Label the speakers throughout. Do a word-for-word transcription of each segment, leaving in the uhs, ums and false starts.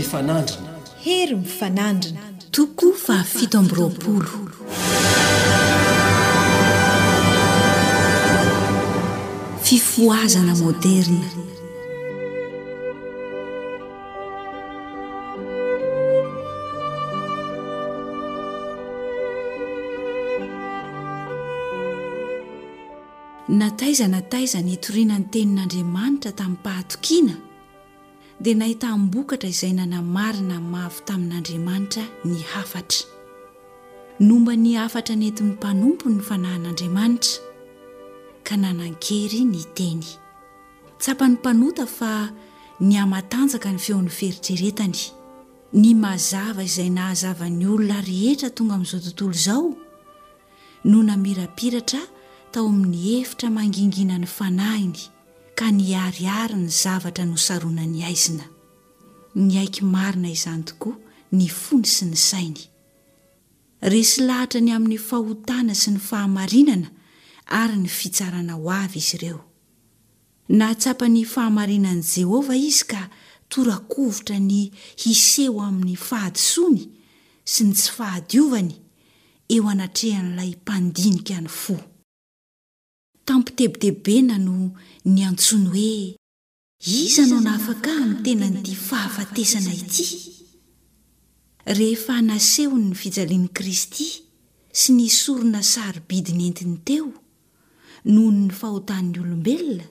Speaker 1: mifanandrina.
Speaker 2: Hery mifanandrina.
Speaker 3: Toko fahafito amby roapolo. Fifohazana moderina. Na taiza na taiza nitoriana ny tenin'Andriamanitra tamim-pahatokiana dia nahitam-bokatra izay nanamarina mavo tamin'Andriamanitra ny hafatra. Nomba ny hafatra nentin'ny mpanompo ny fanahin'Andriamanitra ka nanan-kery ny teny. Tsapan'ny mpanota fa nihamatanjaka ny feon'ny fieritreretany. Ny mazava izay nahazava ny olona rehetra tonga amin'izao tontolo izao no namirapiratra tao amin'ny efitra manginginan'ny fanahiny ka niharihary ny zavatra nosaronan'ny haizina. Niaiky marina izany tokoa ny fony sy ny sainy. Resy lahatra ny amin'ny fahotana sy ny fahamarinana ary ny fitsarana ho avy izy ireo. Nahatsapa ny fahamarinan'i Jehovah izy ka tora-kovitra ny hiseho amin'ny fahadisoany sy ny tsy fahadiovany eo anatrehan'ilay Mpandinika ny fo. Tam-pitebitebena no niantsoany hoe, Iza no nahafaka ahy amin'ny tenan'ity fahafatesana ity? Rehefa nasehony ny fijalian'i Kristy sy ny sorona sarobidy nentiny teo noho ny fahotan'ny olombelona,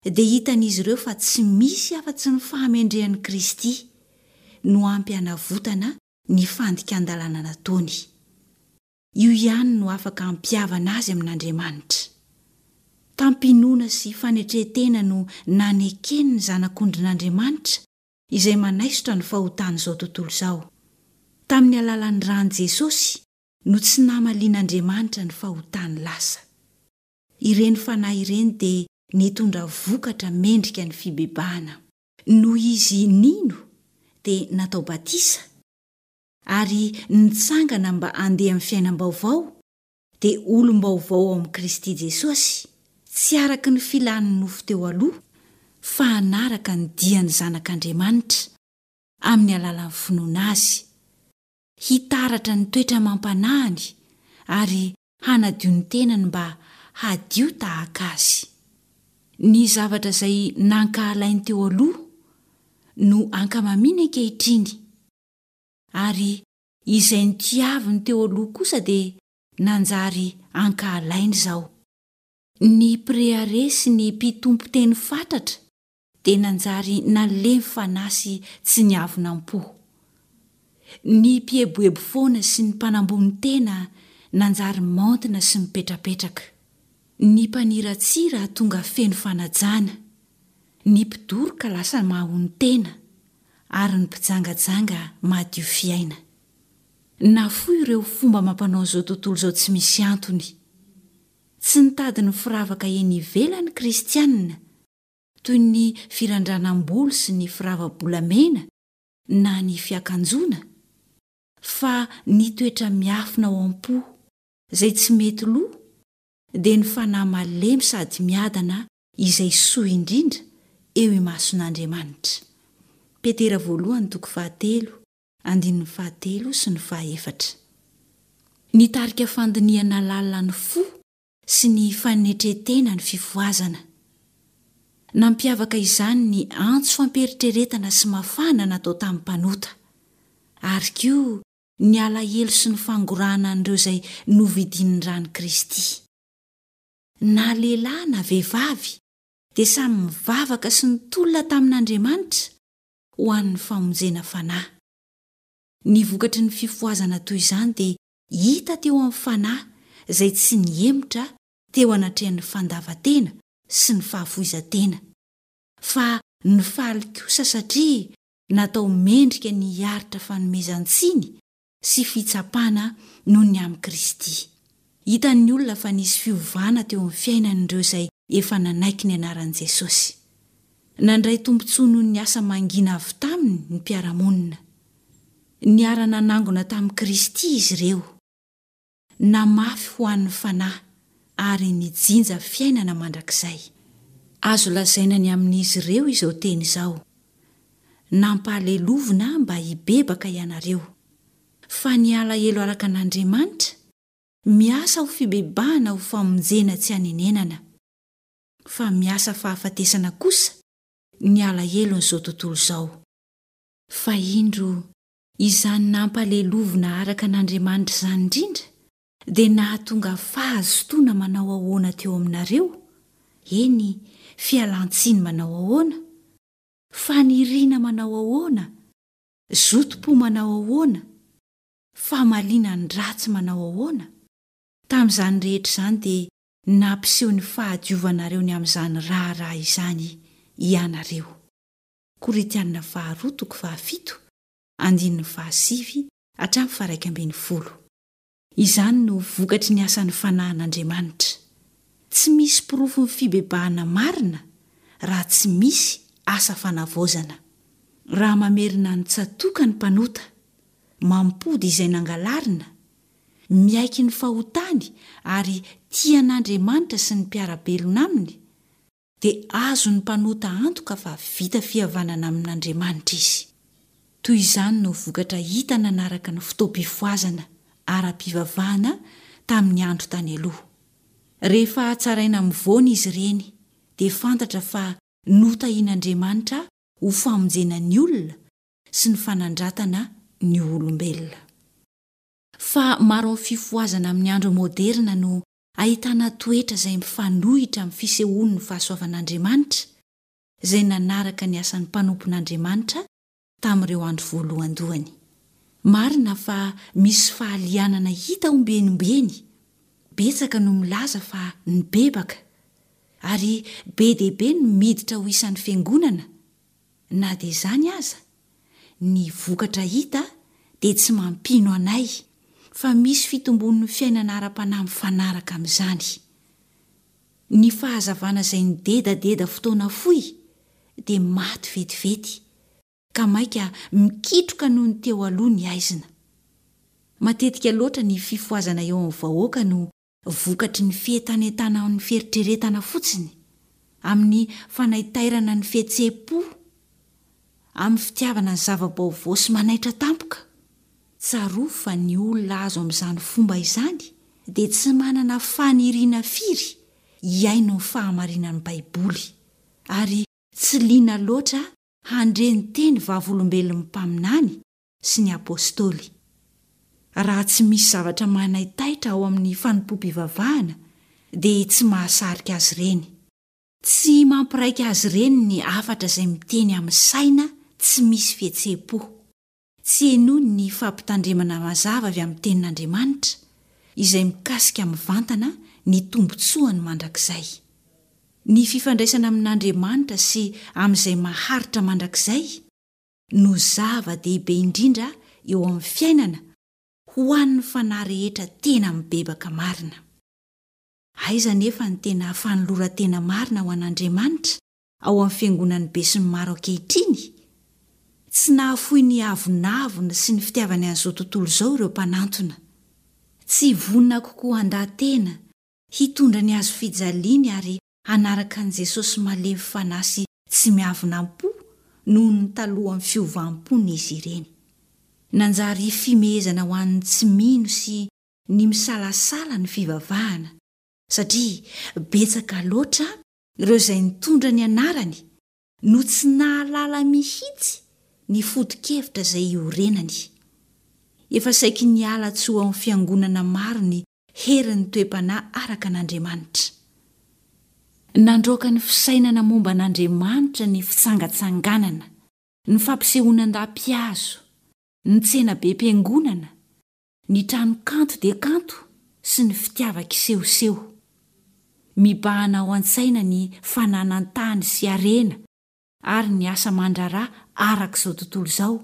Speaker 3: dia hitan'izy ireo fa tsy misy afa-tsy ny fahamendrehan'i Kristy no ampy hanavotana ny fandikan-dalàna nataony. Io ihany no afaka hampihavana azy amin'Andriamanitra. Tam-pinoana sy fanetren-tena no nanekeny ny Zanak'ondrin'Andriamanitra izay manaisotra ny fahotan'izao tontolo izao. Tamin'ny alalan'ny ran'i Jesosy no tsy namalian'Andriamanitra ny fahotany lasa. Ireny fanahy ireny dia nitondra vokatra mendrika ny fibebahana. Noho izy nino dia natao batisa ary nitsangana mba handeha amin'ny fiainam-baovao, dia olom-baovao ao amin'i Kristy Jesosy, tsy araka ny filan'ny nofo teo aloha, fa hanaraka ny dian'ny Zanak'Andriamanitra, amin'ny alalan'ny finoana Azy, hitaratra ny toetra amam-panahiny ary hanadio ny tenany mba hadio tahaka Azy. Ny zavatra izay nankahalainy teo aloha no ankamamiany ankehitriny. Ary izay notiaviny teo aloha kosa dia nanjary ankahalaina izao. Ny mpirehareha sy ny mpitompo teny fatratra dia nanjary nalemy fanahy sy tsy niavona am-po. Ny mpieboebo foana sy ny mpanambony tena nanjary maontina sy mipetrapetraka. Ny mpaniratsira tonga feno fanajana. Ny mpidoroka lasa mahonon-tena. ary ny mpijangajanga madio fiaina. Nafoy ireo fomba amam-panao izao tontolo izao tsy misy antony. Tsy nitady ny firavaka eny ivelany ny Kristianina, toy ny firandranam-bolo sy ny firava-bolamena na ny fiakanjoana, fa ny toetra miafina ao am-po izay tsy mety lo dia ny fanahy malemy sady miadana izay soa indrindra eo imason'Andriamanitra. Petera voalohany toko fahatelo, andininy fahatelo sy ny fahaefatra. Nitarika fandinihana lalina ny fo sy ny fanetren-tena ny fifohazana. Nampiavaka izany ny antso fampiheritreretana sy mafana natao tamin'ny mpanota, ary koa ny alahelo sy ny fangorahana an'ireo izay novidian'ny ran'i Kristy. Na lehilahy na vehivavy dia samy mivavaka sy nitolona tamin'Andriamanitra ho an'ny famonjena fanahy. Ny vokatry ny fifohazana toy izany dia hita teo amin'ny fanahy izay tsy nihemotra teo anatrehan'ny fandavan-tena sy ny fahafoizan-tena, fa nifaly kosa satria natao mendrika ny hiaritra fanomezan-tsiny sy fitsapana noho ny amin'i Kristy. Hitan'ny olona fa nisy fiovana teo amin'ny fiainan'ireo izay efa nanaiky ny anaran'i Jesosy. Nandray tombontsoa noho ny asa mangina avy taminy ny mpiara-monina. Niara-nanangona tamin'i Kristy izy ireo. Namafy ho an'ny fanahy ary nijinja fiainana mandrakizay. Azo lazaina ny amin'izy ireo izao teny izao, Nampahalelovina mba hibebaka ianareo. Fa ny alahelo araka an'Andriamanitra, miasa ho fibebahana ho famonjena tsy hanenenana. Fa miasa fahafatesana kosa ny alahelon'izao tontolo izao. Fa indro, izany nampahalelovina araka an'Andriamanitra izany indrindra dia nahatonga fahazotoana manao ahoana teo aminareo, eny, fialan-tsiny manao ahoana, faniriana manao ahoana, zotom-po manao ahoana, famaliana ny ratsy manao ahoana. Tamin'izany rehetra izany dia nampiseho ny fahadiovanareo ny amin'izany raharaha izany ianareo. Korintiana faharoa toko fahafito, andininy fahasivy hatramin'ny faharaika ambin'ny folo. Izany no vokatry ny asan'ny Fanahin'Andriamanitra. Tsy misy porofon'ny fibebahana marina raha tsy misy asa fanavaozana. Raha mamerina ny tsatoka ny mpanota, mampody izay nangalarina, miaiky ny fahotany ary tia an'Andriamanitra sy ny mpiara-belona aminy, dia azon'ny mpanota antoka fa vita fihavanana amin'Andriamanitra izy. Toy izany no vokatra hita nanaraka ny fotoam-pifohazana ara-pivavahana tamin'ny andro tany aloha. Rehefa hatsaraina amin'ny voany izy ireny, dia fantatra fa notahian'Andriamanitra ho famonjena ny olona sy ny fanandratana ny olombelona. Fa maro amin'ny fifohazana amin'ny andro moderina no ahitana toetra izay mifanohitra amin'ny fisehoan'ny fahasoavan'Andriamanitra izay nanaraka ny asan'ny mpanompon'Andriamanitra tamin'ireo andro voalohandohany. Marina fa misy fahalianana hita ombieny ombieny, betsaka no milaza fa nibebaka, ary be dia be no miditra ho isan'ny fiangonana, Na dia izany aza, ny vokatra hita dia tsy mampino anay fa misy fitombon'ny fiainana ara-panahy mifanaraka amin'izany. Ny fahazavana izay nidedadeda fotoana fohy dia maty vetivety, ka mainka mikitroka noho ny teo aloha ny haizina. Matetika loatra ny fifohazana eo amin'ny vahoaka no vokatry ny fientanentanan'ny fieritreretana fotsiny, amin'ny fanaitairana ny fihetseham-po, amin'ny fitiavana ny zava-baovao sy manaitra tampoka. Tsarovy fa ny olona azo amin'izany fomba izany dia tsy manana faniriana firy hihaino ny fahamarinan'ny Baiboly, ary tsy liana loatra handre ny teny vavolombelon'ny mpaminany sy ny Apostoly. Raha tsy misy zavatra manaitaitra ao amin'ny fanompoam-pivavahana dia tsy mahasarika azy ireny. Tsy mampiraika azy ireny ny hafatra izay miteny amin'ny saina tsy misy fihetseham-po. Tsy henoiny ny fampitandremana mazava avy amin'ny Tenin'Andriamanitra izay mikasika mivantana ny tombontsoany mandrakizay. Ny fifandraisana amin'Andriamanitra sy amin'izay maharitra mandrakizay no zava-dehibe indrindra eo amin'ny fiainana ho an'ny fanahy rehetra tena mibebaka marina. Aiza anefa ny tena fanoloran-tena marina ho an'Andriamanitra ao amin'ny fiangonan'ny besinimaro ankehitriny? Tsy nahafoy ny avonavona sy ny fitiavany an'izao tontolo izao ireo mpanantona. Tsy vonona kokoa handà tena, hitondra ny hazofijaliany ary hanaraka an'i Jesosy malemy fanahy sy tsy miavona am-po noho ny talohan'ny fiovam-pony izy ireny. Nanjary fimehezana ho an'ny tsy mino sy ny misalasala ny fivavahana, satria betsaka loatra ireo izay nitondra ny anarany no tsy nahalala mihitsy ny foto-kevitra izay iorenany. Efa saiky niala tsy ho ao amin'ny fiangonana maro ny herin'ny toe-panahy araka an'Andriamanitra. Nandroaka ny fisainana momba an'Andriamanitra ny fitsangatsanganana, ny fampisehoana an-dapihazo, ny tsenabem-piangonana, ny trano kanto dia kanto sy ny fitiavan-kisehoseho. Mibahana ao an-tsaina ny fananan-tany sy harena ary ny asa aman-draharaha araka izao tontolo izao,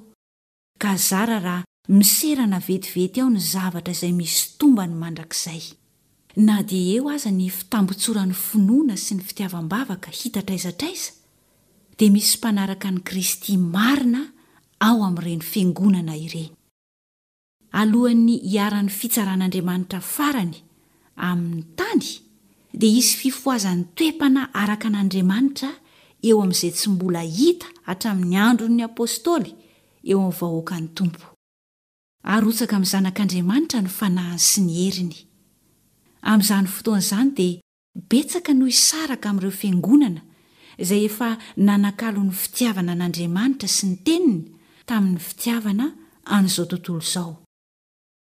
Speaker 3: ka zara raha miserana vetivety ao ny zavatra izay misy tombany mandrakizay. Na dia eo aza ny fitambotsoran'ny finoana sy ny fitiavam-bavaka hita hatraiza hatraiza, dia misy mpanaraka an'i Kristy marina ao amin'ireny fiangonana ireny. Alohan'ny hiharan'ny fitsaran'Andriamanitra farany amin'ny tany, dia hisy fifohazan'ny toe-panahy araka an'Andriamanitra eo amin'izay tsy mbola hita hatramin'ny andron'ny Apostoly eo amin'ny vahoakan'ny Tompo. Arotsaka amin'ny Zanak'Andriamanitra ny Fanahiny sy ny heriny. Amin'izany fotoana izany dia betsaka no hisaraka amin'ireo fiangonana izay efa nanakalo ny fitiavana an'Andriamanitra sy ny Teniny tamin'ny fitiavana an'izao tontolo izao.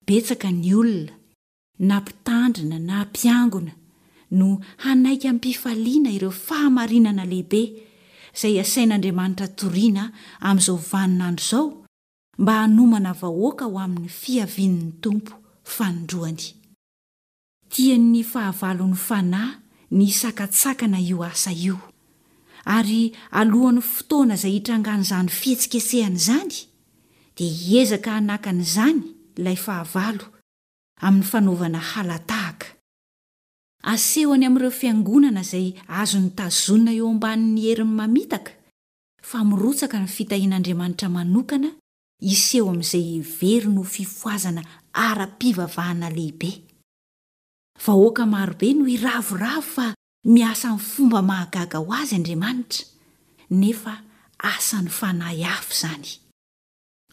Speaker 3: Betsaka ny olona, na mpitandrina na mpiangona, no hanaiky amim-pifaliana ireo fahamarinana lehibe izay asain'Andriamanitra torina amin'izao vaninandro izao mba hanomana vahoaka ho amin'ny fiavian'ny Tompo fanindroany. Tian'ny fahavalon'ny fanahy ny hisakatsakana io asa io. Ary alohan'ny fotoana izay hitrangan'izany fihetsiketsehana izany, dia hiezaka hanakana izany ilay fahavalo amin'ny fanaovana hala-tahaka. Asehony amin'ireo fiangonana izay azony tazonina eo ambanin'ny heriny mamitaka fa mirotsaka ny fitahian'Andriamanitra manokana hiseho amin'izay heveriny ho fifohazana ara-pivavahana lehibe. Vahoaka marobe no hiravoravo fa miasa amin'ny fomba mahagaga ho azy Andriamanitra, nefa asan'ny fanahy hafa izany.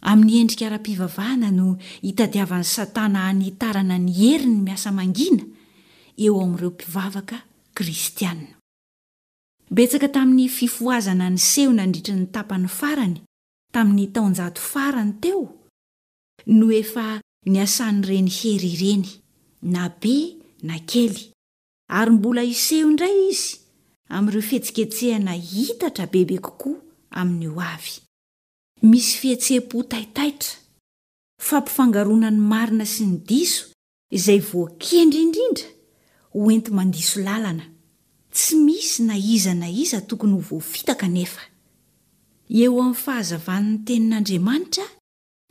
Speaker 3: Amin'ny endrika ara-pivavahana no itadiavan'i Satana hanitarana ny heriny miasa mangina eo amin'ireo mpivavaka kristiana. Betsaka tamin'ny fifohazana niseho nandritra ny tapany farany tamin'ny taonjato farany teo no efa niasan'ireny hery ireny, na be na kely, ary mbola hiseho indray izy amin'ireo fihetsiketsehana hitatra bebe kokoa amin'ny ho avy. Misy fihetseham-po taitaitra, fampifangaroana ny marina sy ny diso izay voakendry indrindra ho enti-mandiso lalana. Tsy misy na iza na iza tokony ho voafitaka anefa. Eo amin'ny fahazavan'ny Tenin'Andriamanitra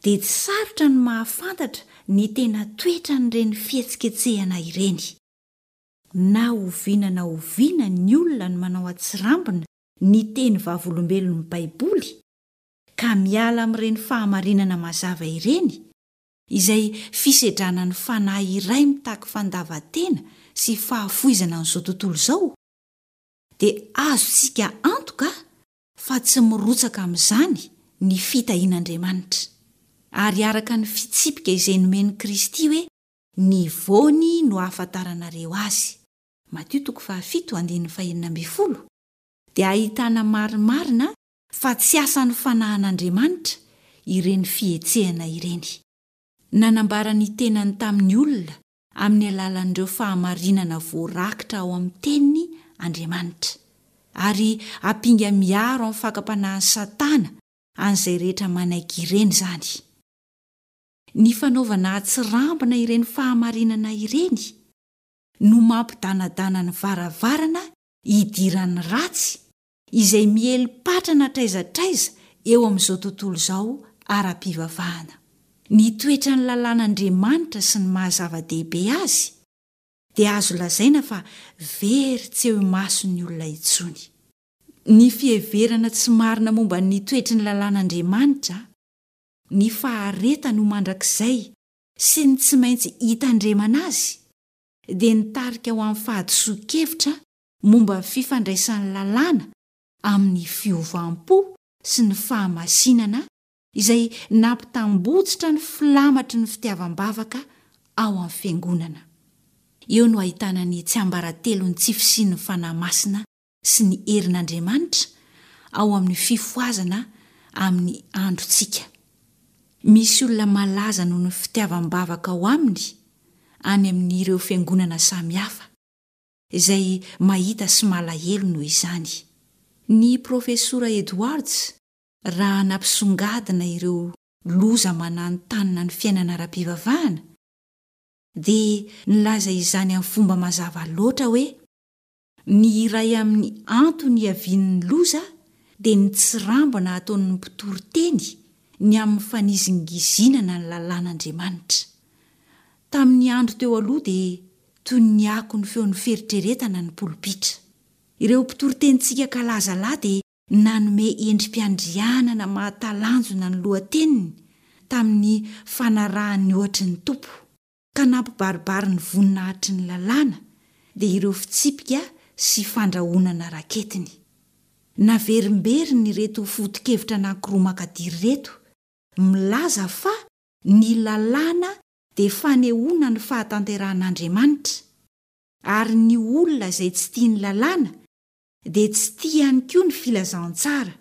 Speaker 3: dia tsy sarotra ny mahafantatra ny tena toetran'ireny fihetsiketsehana ireny. Na oviana na oviana ny olona no manao an-tsirambina ny teny vavolombelon'ny Baiboly ka miala amin'ireny fahamarinana mazava ireny, izay fisedrana ny fanahy iray mitaky fandavan-tena sy fahafoizana an'izao tontolo izao, dia azontsika antoka fa tsy mirotsaka amin'izany ny fitahian'Andriamanitra. Ary araka ny fitsipika izay nomen'i Kristy hoe ny voany no ahafantaranareo azy, Matio toko fahafito andininy fahenina ambin'ny folo, dia ahitana marimarina fa tsy asan'ny fanahin'Andriamanitra ireny fihetsehana ireny. Nanambara ny tenany tamin'ny olona amin'ny alalan'ireo fahamarinana voarakitra ao amin'ny Teniny Andriamanitra, ary ampinga miaro amin'ny fakam-panahin'i Satana an'izay rehetra manaiky ireny izany. Ny fanaovana atsirambina ireny fahamarinana ireny no mampidanadana ny varavarana hidiran'ny ratsy izay miely patrana hatraiza hatraiza eo amin'izao tontolo izao ara-pivavahana. Ny toetran'ny lalàn'Andriamanitra sy ny maha-zava-dehibe azy dia azo lazaina fa very tsy eo imason'ny olona intsony. Ny fiheverana tsy marina momba ny toetry ny lalàn'Andriamanitra, ny faharetany ho mandrakizay sy ny tsy maintsy hitandremana azy dia nitarika ho amin'ny fahadisoan-kevitra momba ny fifandraisan'ny lalàna amin'ny fiovam-po sy ny fahamasinana izay nampitambotsitra ny filamatry ny fitiavam-bavaka ao amin'ny fiangonana. Eo no ahitana ny tsiambaratelon'ny tsy fisian'ny Fanahy Masina sy ny herin'Andriamanitra ao amin'ny fifohazana amin'ny androntsika. Misy olona malaza noho ny fitiavam-bavaka ao aminy any amin'ireo fiangonana samihafa. izay mahita sy malahelo noho izany. Ny Profesora Edwards, raha nampisongadina ireo loza mananontanona ny fiainana ara-pivavahana, dia nilaza izany amin'ny fomba mazava loatra hoe, Ny iray amin'ny antony iavian'ny loza dia ny tsirambina ataon'ny mpitory teny ny amin'ny fanizingizinana ny lalàn'Andriamanitra. Tamin'ny andro teo aloha dia toy ny akon'ny feon'ny fieritreretana ny polipitra. Ireo mpitoritenintsika kalaza lahy dia nanome endri-piandrianana mahatalanjona ny lohateniny tamin'ny fanarahany ny ohatry ny Tompo, ka nampibaribary ny voninahitry ny lalàna, dia ireo fitsipika sy fandrahonana raketiny. Naverimberiny ireto foto-kevitra anankiroa makadiry ireto, milaza fa ny lalàna dia fanehoana ny fahatanterahan'Andriamanitra, ary ny olona izay tsy tia ny lalàna dia tsy tia ihany koa ny filazantsara,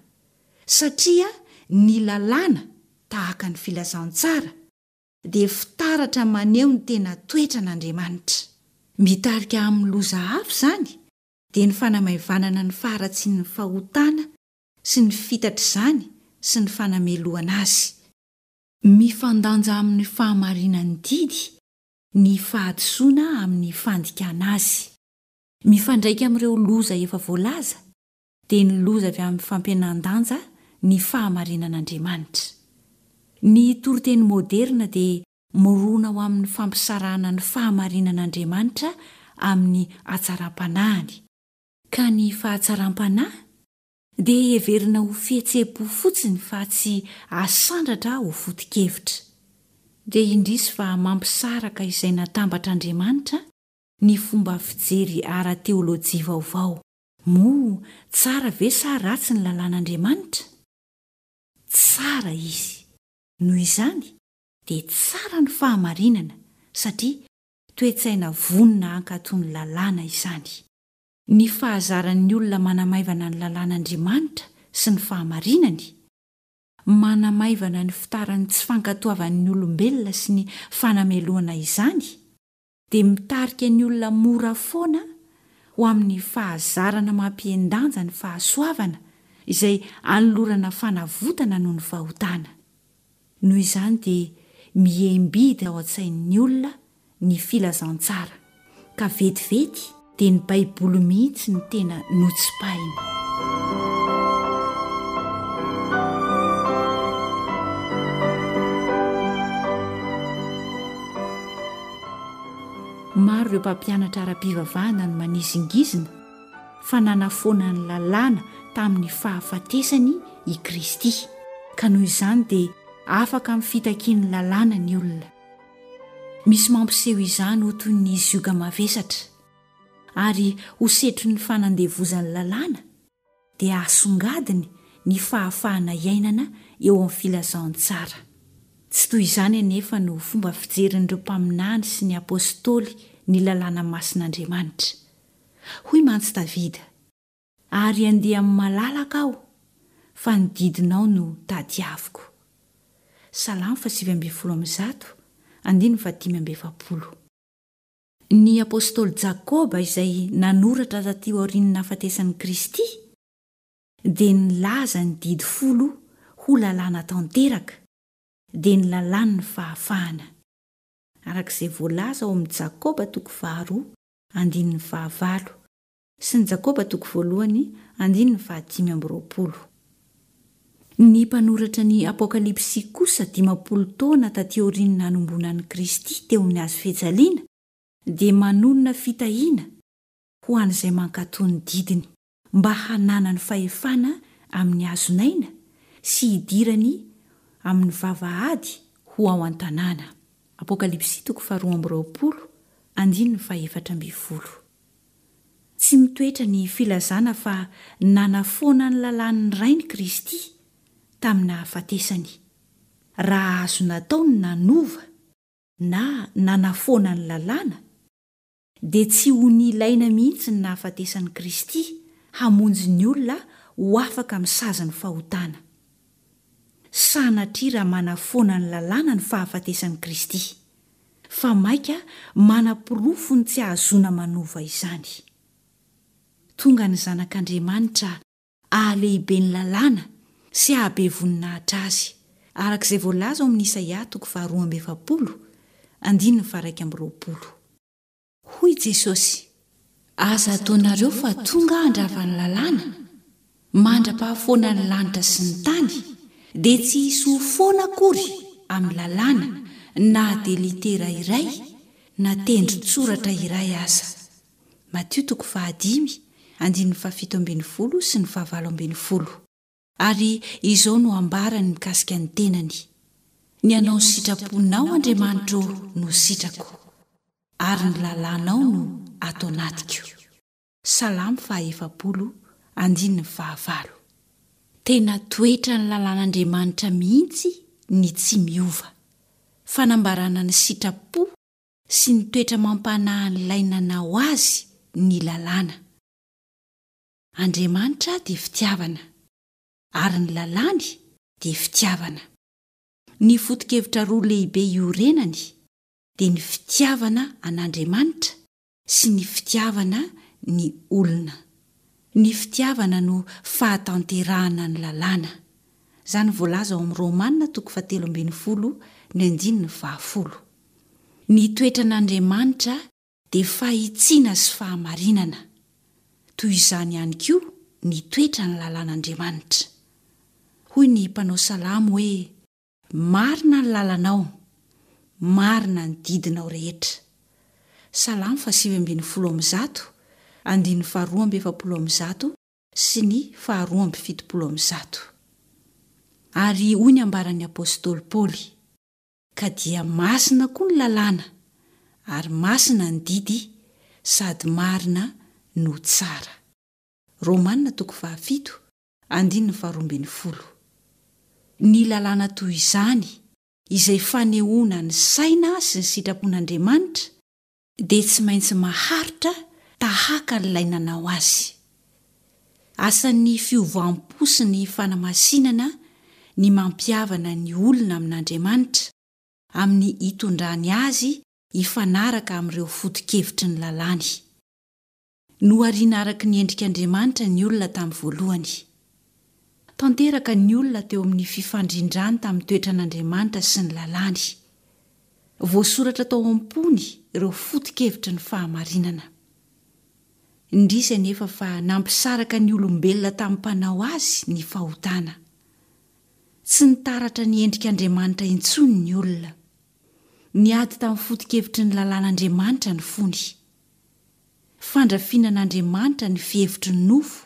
Speaker 3: satria ny lalàna, tahaka ny filazantsara, dia fitaratra maneho ny tena toetran'Andriamanitra. Mitarika amin'ny loza hafa izany, dia ny fanamaivanana ny faharatsian'ny fahotana sy ny fitatr'izany sy ny fanamelohana azy. Mifandanja amin'ny fahamarinan'ny didy ny fahadisoana amin'ny fandikana azy. Mifandraika amin'ireo loza efa voalaza dia ny loza avy amin'ny fampihenan-danja ny fahamarinan'Andriamanitra. Ny toriteny moderina dia mirona ho amin'ny fampisarahana ny fahamarinan'Andriamanitra amin'ny hatsaram-panahiny, ka ny fahatsaram-panahy dia heverina ho fihetseham-po fotsiny fa tsy asandratra ho foto-kevitra. Dia indrisy fa mampisaraka izay natambatr'Andriamanitra ny fomba fijery ara-teolojia vaovao. Moa tsara ve sa ratsy ny lalàn'Andriamanitra? Tsara izy. Noho izany, dia tsara ny fahamarinana, satria toe-tsaina vonona hankatò ny lalàna izany. Ny fahazaran'ny olona manamaivana ny lalàn'Andriamanitra sy ny fahamarinany, manamaivana ny fitaran'ny tsy fankatoavan'ny olombelona sy ny fanamelohana izany, dia mitarika ny olona mora foana ho amin'ny fahazarana mampihen-danja ny fahasoavana izay anolorana fanavotana noho ny fahotana. Noho izany dia mihembidy ao an-tsain'ny olona ny filazantsara, ka vetivety dia ny Baiboly mihitsy no tena notsipahiny. Maro ireo mpampianatra ara-pivavahana no manizingizina fa nanafoana ny lalàna tamin'ny fahafatesany i Kristy, ka noho izany dia afaka amin'ny fitakian'ny lalàna ny olona. Misy mampiseho izany ho toy ny zioga mavesatra, ary ho setrin'ny fanandevozan'ny lalàna, dia asongadiny ny fahafahana iainana eo amin'ny filazantsara. Tsy toy izany anefa no fomba fijerin'ireo mpaminany sy ny apostoly ny lalàna masin'Andriamanitra. Hoy mantsy Davida, Ary handeha amin'ny malalaka aho, fa ny didinao no tadiaviko. Salamo fahasivy ambin'ny folo amby zato, andininy fahadimy amby efapolo. Ny apostoly Jakoba izay nanoratra taty aorian'ny nahafatesan'i Kristy dia nilaza ny didy folo ho lalàna tanteraka, dia ny lalàn'ny fahafahana, araka izay voalaza ao amin'ny Jakoba toko faharoa andininy fahavalo sy ny Jakoba toko voalohany andininy fahadimy amby roapolo. Ny mpanoratra ny Apokalypsy kosa dimampolo taona taty aorian'ny nanomboana an'i Kristy teo amin'ny hazo fijaliana dia manonona fitahiana ho an'izay mankatò ny didiny mba hananany fahefana amin'ny hazon'aina sy hidirany amin'ny vavahady ho ao an-tanàna. Apokalypsy toko faharoa amby roapolo andininy fahefatra ambin'ny folo. Tsy mitoetra ny filazana fa nanafoana ny lalàn'ny Rainy Kristy tamin'ny nahafatesany. Raha azo natao ny nanova na nanafoana ny lalàna, dia tsy ho nilaina mihitsy ny nahafatesan'i Kristy hamonjy ny olona ho afaka amin'ny sazin'ny fahotana. Sanatria raha manafoana ny lalàna ny fahafatesan'i Kristy, fa mainka manaporofo ny tsy ahazoana manova izany. Tonga ny Zanak'Andriamanitra hahalehibe ny lalàna sy hahabe voninahitra azy, araka izay voalaza ao amin'ny Isaia toko faharoa amby efapolo, andininy faharaika amby roapolo. Hoy Jesosy, Aza ataonareo fa tonga aho handrava ny lalàna, mandra-pahafoana ny lanitra sy ny tany, dia tsy hisy ho foana akory amin'ny lalàna na dia litera iray na tendron-tsoratra iray aza. Matio toko fahadimy, andininy fahafito ambin'ny folo sy ny fahavalo ambin'ny folo. Ary izao no ambarany mikasika ny tenany, Ny hanao ny sitraponao, Andriamanitra ô, no sitrako, ary ny lalànao no ato anatiko. Salamo faha efapolo, andininy fahavalo. Tena toetran'ny lalàn'Andriamanitra mihitsy ny tsy miova. Fanambarana ny sitrapo sy ny toetra mampanahin'ilay nanao azy ny lalàna. Andriamanitra dia fitiavana, ary ny lalàny dia fitiavana. Ny foto-kevitra roa lehibe iorenany dia ny fitiavana an'Andriamanitra sy ny fitiavana ny olona. Ny fitiavana no fahatanterahana ny lalàna. Izany voalaza ao amin'ny Romana toko fahatelo ambin'ny folo ny andininy fahafolo. Ny toetran'Andriamanitra dia fahitsiana sy fahamarinana. Toy izany ihany koa ny toetran'ny lalàn'Andriamanitra. Hoy ny mpanao salamo hoe, Marina ny lalanao, marina ny didinao rehetra. Salamo fahasivy ambin'ny folo amby zato, andininy faharoa amby efapolo amby zato sy ny faharoa amby fitopolo amby zato. Ary hoy ny ambaran'ny apostoly Paoly, Ka dia masina koa ny lalàna, ary masina ny didy, sady marina no tsara. Romana toko fahafito, andininy faharoa ambin'ny folo. Ny lalàna toy izany, izay fanehoana ny saina sy ny sitrapon'Andriamanitra, dia tsy maintsy maharitra tahaka an'ilay nanao azy. Asan'ny fiovam-po sy ny fanamasinana ny mampihavana ny olona amin'Andriamanitra, amin'ny hitondrany azy hifanaraka amin'ireo foto-kevitry ny lalàny. Nohariana araka ny endrik'Andriamanitra ny olona tamin'ny voalohany. Tanteraka ny olona teo amin'ny fifandrindrany tamin'ny toetran'Andriamanitra sy ny lalàny. Voasoratra tao am-pony ireo foto-kevitry ny fahamarinana. Indrisy anefa fa nampisaraka ny olombelona tamin'ny Mpanao azy ny fahotana. Tsy nitaratra ny endrik'Andriamanitra intsony ny olona. Niady tamin'ny foto-kevitry ny lalàn'Andriamanitra ny fony. Fandrafiana an'Andriamanitra ny fihevitry ny nofo,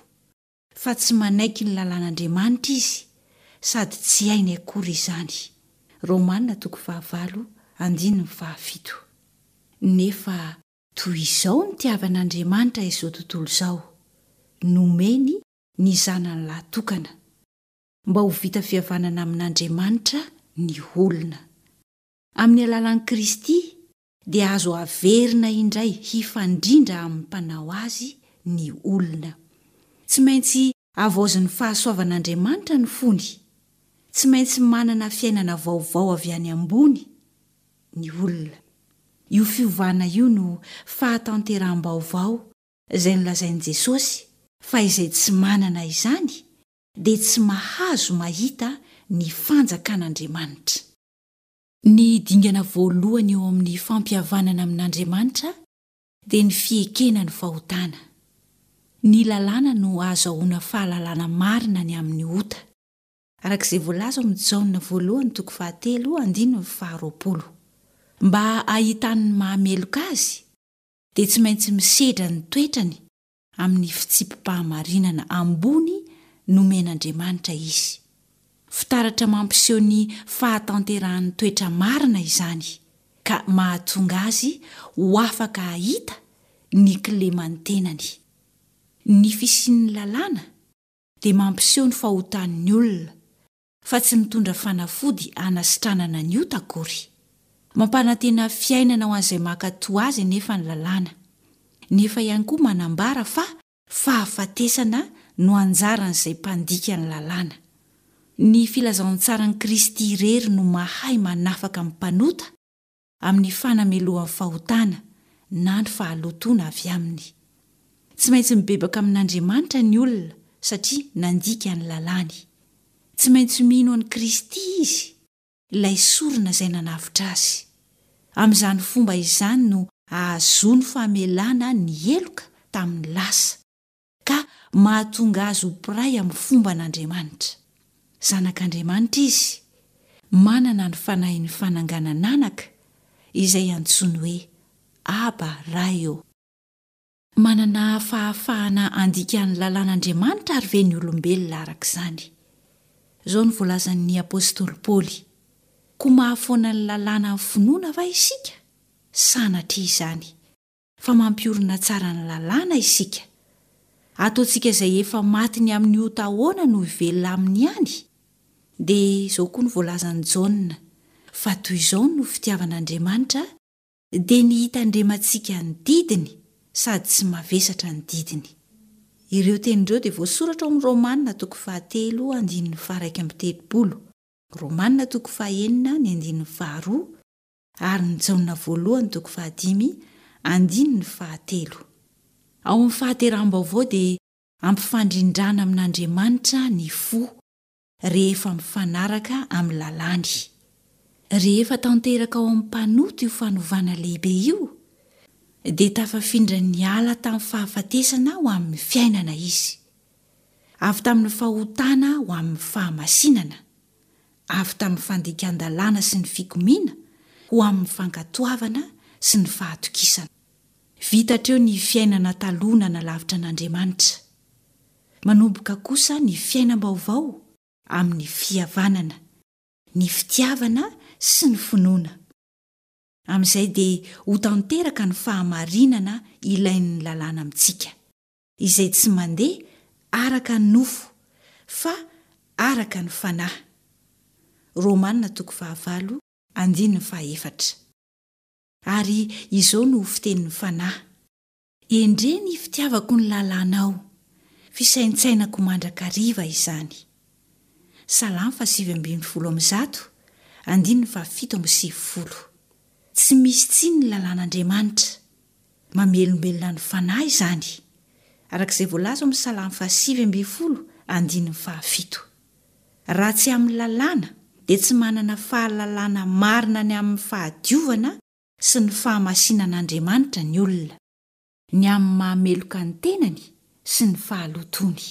Speaker 3: fa tsy manaiky ny lalàn'Andriamanitra izy, sady tsy hainy akory izany. Romana toko fahavalo andininy fahafito. Nefa toy izao nitiavan'Andriamanitra izao tontolo izao, nomeny ny Zanany lahy tokana, mba ho vita fihavanana amin'Andriamanitra ny olona. Amin'ny alalan'i Kristy dia azo averina indray hifandrindra amin'ny Mpanao azy ny olona. Tsy maintsy havaozin'ny fahasoavan'Andriamanitra ny fony. Tsy maintsy manana fiainana vaovao avy any ambony ny olona. Io fiovana io no fahatanteraham-baovao izay nolazain'i Jesosy fa izay tsy manana izany dia tsy mahazo mahita ny fanjakan'Andriamanitra. Ny dingana voalohany eo amin'ny fampihavanana amin'Andriamanitra dia ny fiekena ny fahotana. Ny lalàna no ahazahoana fahalalana marina ny amin'ny ota, araka izay voalaza ao amin'ny Jaona voalohany toko fahatelo andininy faharoapolo. Mba hahitany ny maha-meloka azy dia tsy maintsy misedra ny toetrany amin'ny fitsipi-pahamarinana ambony nomen'Andriamanitra izy. Fitaratra mampiseho ny fahatanterahan'ny toetra marina izany, ka mahatonga azy ho afaka hahita ny kileman'ny tenany. Ny fisian'ny lalàna dia mampiseho ny fahotan'ny olona, fa tsy mitondra fanafody hanasitranana ny ota akory. Mampanantena fiainana ho an'izay mankatò azy anefa ny lalàna, nefa ihany koa manambara fa fahafatesana no anjaran'izay mpandika ny lalàna. Ny filazantsaran'i Kristy irery no mahay manafaka ny mpanota amin'ny fanamelohan'ny fahotana na ny fahalotoana avy aminy. Tsy maintsy mibebaka amin'Andriamanitra ny olona satria nandika ny lalàny. Tsy maintsy mino an'i Kristy izy, ilay sorona izay nanavotra azy. Amin'izany fomba izany no ahazoany famelana ny heloka tamin'ny lasa, ka mahatonga azy ho mpiray amin'ny fomban'Andriamanitra. Zanak'Andriamanitra izy, manana ny fanahin'ny fananganan'anaka, izay antsoiny hoe Aba, Ray ô. Manana fahafahana handika ny lalàn'Andriamanitra àry ve ny olombelona araka izany? Izao no voalazan'ny apostoly Paoly, Koa mahafoana ny lalàna amin'ny finoana va isika? Sanatria izany! Fa mampiorina tsara ny lalàna isika. Ataontsika izay efa maty ny amin'ny ota ahoana no hivelona aminy ihany? Dia izao koa no voalazan'i Jaona, Fa toy izao no fitiavan'Andriamanitra, dia ny hitandremantsika ny didiny sady tsy mavesatra ny didiny. Ireo teny ireo dia voasoratra ao amin'ny Romana toko fahatelo andininy faharaika amby telopolo, Romana toko fahenina ny andininy faharoa, ary ny Jaona voalohany toko fahadimy andininy fahatelo. Ao amin'ny fahateraham-baovao dia ampifandrindrana amin'Andriamanitra ny fo rehefa mifanaraka amin'ny lalàny. Rehefa tanteraka ao amin'ny mpanota io fanovana lehibe io, dia tafafindra niala tamin'ny fahafatesana ho amin'ny fiainana izy, avy tamin'ny fahotana ho amin'ny fahamasinana, avy tamin'ny fandikan-dalàna sy ny fikomiana ho amin'ny fankatoavana sy ny fahatokisana. Vita hatreo ny fiainana taloha nanalavitra an'Andriamanitra. Manomboka kosa ny fiainam-baovao amin'ny fihavanana, ny fitiavana sy ny finoana. Amin'izay dia ho tanteraka ny fahamarinana ilain'ny lalàna amintsika, izay tsy mandeha araka ny nofo, fa araka ny fanahy. Romana toko fahavalo andininy fahaefatra. Ary izao no ho fitenin'ny fanahy. Endrey ny fitiavako ny lalànao, fisaintsainako mandrakariva izany. Salamo fahasivy ambin'ny folo amby zato, andininy fahafito amby sivifolo. Tsy misy tsiny ny lalàn'Andriamanitra. Mamelombelona ny fanahy izany, araka izay voalaza ao amin'ny Salamo fahasivy ambin'ny folo, andininy fahafito. Raha tsy amin'ny lalàna, dia tsy manana fahalalana marina ny amin'ny fahadiovana sy ny fahamasinan'Andriamanitra ny olona, ny amin'ny maha-meloka ny tenany sy ny fahalotoany.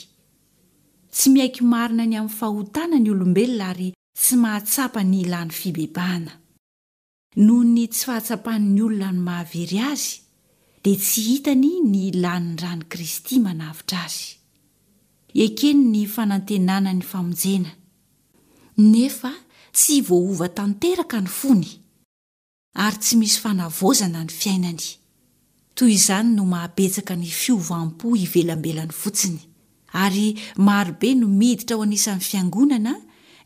Speaker 3: Tsy miaiky marina ny amin'ny fahotana ny olombelona ary tsy mahatsapa ny ilany fibebahana. Noho ny tsy fahatsapan'ny olona ny maha-very azy, dia tsy hitany ny ilàn'ny ran'i Kristy manavotra azy. Ekeny ny fanantenana ny famonjena, nefa tsy voaova tanteraka ny fony. ary tsy misy fanavaozana ny fiainany. Toy izany no mahabetsaka ny fiovam-po ivelambelany fotsiny, ary marobe no miditra ho anisan'ny fiangonana